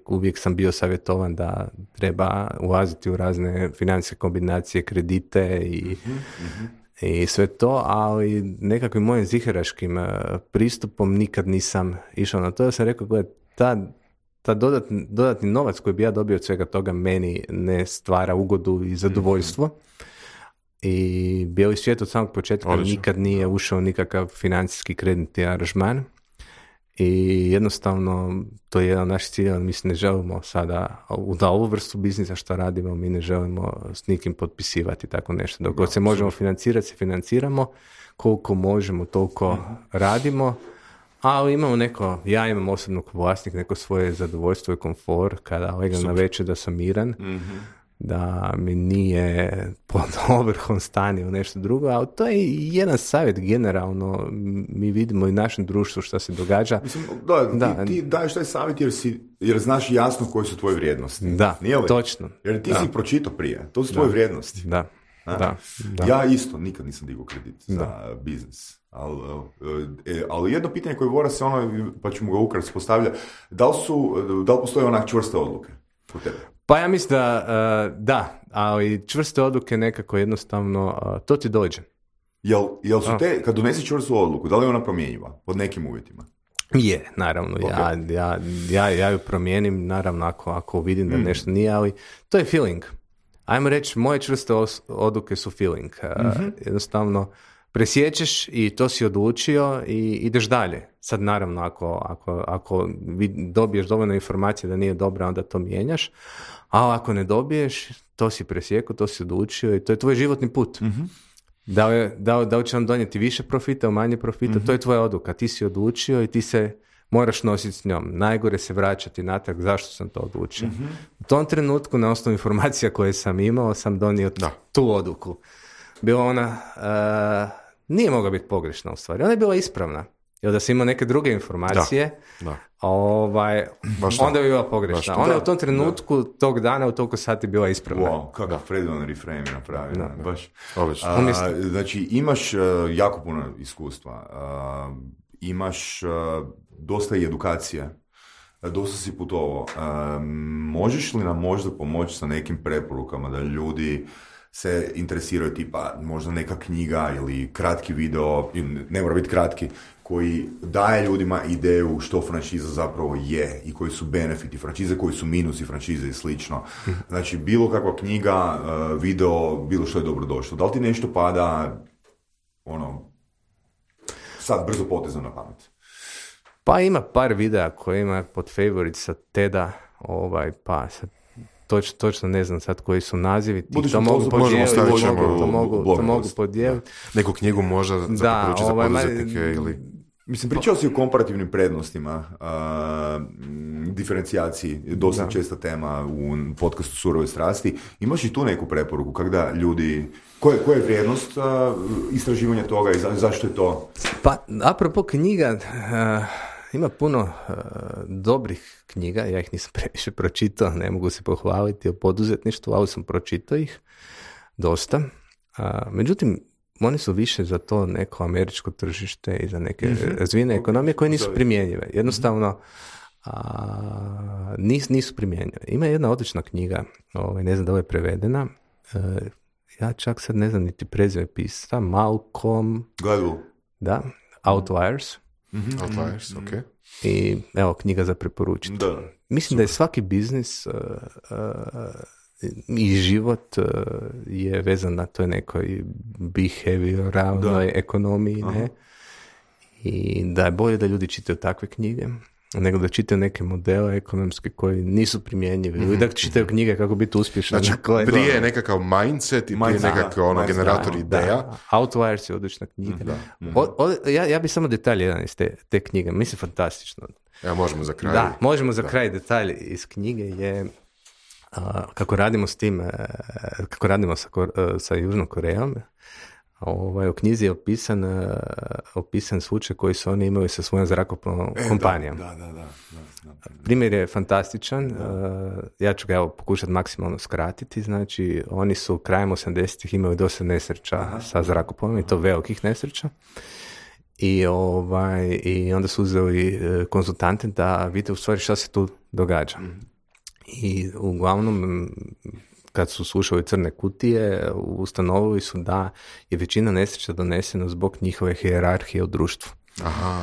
uvijek sam bio savjetovan da treba ulaziti u razne financijske kombinacije, kredite i sve to, ali nekakvim mojim ziheraškim pristupom nikad nisam išao na to. Ja sam rekao, gledaj, ta dodatni novac koji bi ja dobio od svega toga meni ne stvara ugodu i zadovoljstvo. I bijeli svijet od samog početka nikad nije ušao nikakav financijski kreditni aranžman i jednostavno to je jedan od naših ciljeva. Mi se ne želimo sada da ovu vrstu biznisa što radimo, mi ne želimo s nikim potpisivati tako nešto. Dok god se možemo financirati, se financiramo, koliko možemo toliko radimo, ali imamo ja imam osobno kao vlasnik neko svoje zadovoljstvo i komfor kada legam na večer da sam miran, da mi nije pod ovrhom stani u nešto drugo, ali to je jedan savjet generalno, mi vidimo i našem društvu što se događa. Mislim, ti daješ taj savjet jer znaš jasno koje su tvoje vrijednosti. Da, točno. Jer ti si pročitao prije, to su tvoje vrijednosti. Da. Ja isto nikad nisam digao kredit za biznis. Ali jedno pitanje koje Vora se pa ćemo ga ukratko postavlja, da li postoje onak čvrste odluke u tebe? Pa ja mislim da, ali čvrste odluke nekako jednostavno, to ti dođe. Jel su kad donesi čvrstu odluku, da li je ona promjenjiva pod nekim uvjetima? Je, naravno. Okay. Ja ju promijenim, naravno, ako vidim da nešto nije, ali to je feeling. Ajmo reći, moje čvrste odluke su feeling. Jednostavno, presjećeš i to si odlučio i ideš dalje. Sad naravno ako dobiješ dovoljno informacije da nije dobra, onda to mijenjaš, a ako ne dobiješ, to si presjekao, to si odlučio i to je tvoj životni put. Da li će vam donijeti više profita, manje profita, to je tvoja odluka. Ti si odlučio i ti se moraš nositi s njom. Najgore se vraćati natrag zašto sam to odlučio. U tom trenutku, na osnovu informacija koje sam imao, sam donio tu odluku. Bila ona nije mogla biti pogrešna u stvari. Ona je bila ispravna. Jer da sam imao neke druge informacije, onda bi bila pogrešna. Ona je u tom trenutku, tog dana, u toliko sati bila ispravna. Wow, kakav predivan reframe napravio. Baš. Znači, imaš jako puno iskustva. Imaš dosta i edukacije. Dosta si putovao. Možeš li nam možda pomoći sa nekim preporukama da ljudi se interesiraju, tipa možda neka knjiga ili kratki video, ne mora biti kratki, koji daje ljudima ideju što franšiza zapravo je i koji su benefiti franšize, koji su minusi franšize i slično. Znači, bilo kakva knjiga, video, bilo što je dobro došlo. Da li ti nešto pada sad brzo potezno na pamet? Pa ima par videa koje ima pod favorite sa TED-a, pa sad točno ne znam sad koji su nazivi. To mogu podijeliti. Neku knjigu možda za preporučiti za poduzetnike ili... Mislim, pričao si o komparativnim prednostima, diferencijaciji, dosta česta tema u podcastu Surove strasti. Imaš i tu neku preporuku kada ljudi... Koja je vrijednost istraživanja toga i zašto je to? Pa, apropo knjiga... Ima puno dobrih knjiga, ja ih nisam previše pročitao, ne mogu se pohvaliti o poduzetništvu, ali sam pročitao ih dosta. Međutim, oni su više za to neko američko tržište i za neke razvijene ekonomije koje nisu primjenjive. Jednostavno, nisu primjenjive. Ima jedna odlična knjiga, ne znam da li je prevedena, ja čak sad ne znam niti prezime pisca, Malcolm... Gladwell. Da, Outliers. Outliers, ok. I evo, knjiga za preporučiti. Mislim da je svaki biznis i život je vezan na toj nekoj behavioralnoj ekonomiji, ne? I da je bolje da ljudi čitaju takve knjige nego da čitaju neke modele ekonomske koji nisu primjenjivi. Ili da čitaju knjige kako biti uspješan. Znači, prije je nekakav mindset i prije nekakav generator ideja. Outliers je odlična knjiga. Ja bi samo detalj jedan iz te knjige. Mislim, fantastično. Možemo za kraj. Da, možemo za kraj. Detalj iz knjige je kako radimo s tim, kako radimo sa Južnom Korejom. U knjizi je opisan slučaj koji su oni imali sa svojom zrakoplovnom kompanijom. Da. Primjer je fantastičan. Ja ću ga pokušati maksimalno skratiti. Znači, oni su krajem 80-ih imali dosta nesreća sa zrakoplovom i to velikih nesreća. I onda su uzeli konzultante da vide u stvari šta se tu događa. I uglavnom, kad su slušali crne kutije, ustanovili su da je većina nesreća donesena zbog njihove hijerarhije u društvu. Aha.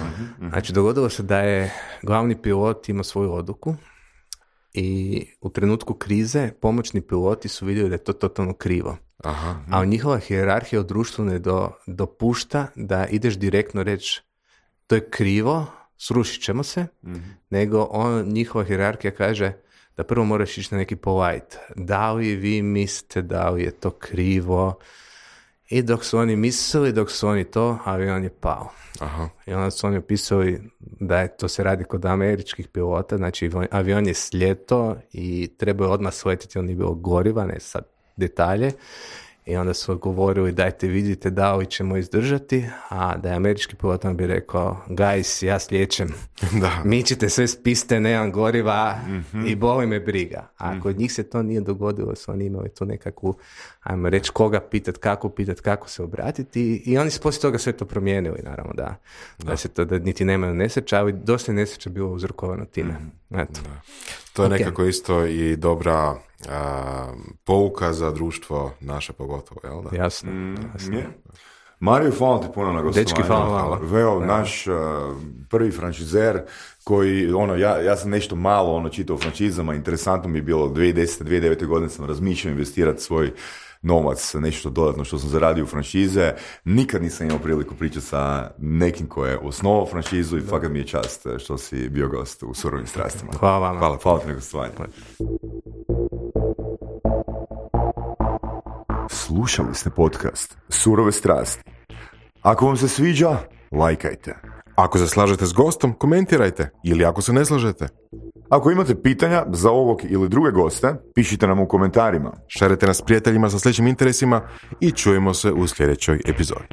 Znači, dogodilo se da je glavni pilot imao svoju odluku i u trenutku krize pomoćni piloti su vidjeli da je to totalno krivo. Aha. A njihova hijerarhija u društvu ne dopušta da ideš direktno reći to je krivo, srušit ćemo se, nego njihova hijerarhija kaže da prvo moraš ići na neki polite. Da li vi mislite da li je to krivo? I dok su oni mislili, dok su oni to, avion je pao. Aha. I onda su oni opisali da je to se radi kod američkih pilota, znači avion je sljeto i trebao je odmah sletiti, on nije bilo goriva, ne sad detalje. I onda su govorili dajte vidite da li ćemo izdržati, a da je američki pilot on bi rekao guys, ja slijećem, mičite sve s piste, nemam goriva i boli me briga. A kod njih se to nije dogodilo, su oni imali tu nekakvu, ajmo reći koga pitati, kako se obratiti i oni su poslije toga sve to promijenili, naravno da se to, da niti nemaju nesreća, ali dosta je nesreća bilo uzrokovano time. Eto. Da. To je nekako isto i dobra pouka za društvo naše pogotovo, jel da? Jasno. Mario, hvala ti puno na gostovanju. Dečki, hvala. Veo, naš prvi franšizer koji, ja sam nešto malo čitao o franšizama, interesantno mi je bilo 2010. 2009. godine sam razmišljao investirati svoj novac, nešto dodatno što sam zaradio u franšize. Nikad nisam imao priliku pričati sa nekim ko je osnovao franšizu i fakat mi je čast što si bio gost u Surovim strastima. Hvala vama. Hvala ti na gostovanju. Slušali ste podcast Surove strasti. Ako vam se sviđa, lajkajte. Ako se slažete s gostom, komentirajte. Ili ako se ne slažete. Ako imate pitanja za ovog ili druge goste, pišite nam u komentarima. Šerite nas s prijateljima sa sličnim interesima i čujemo se u sljedećoj epizodi.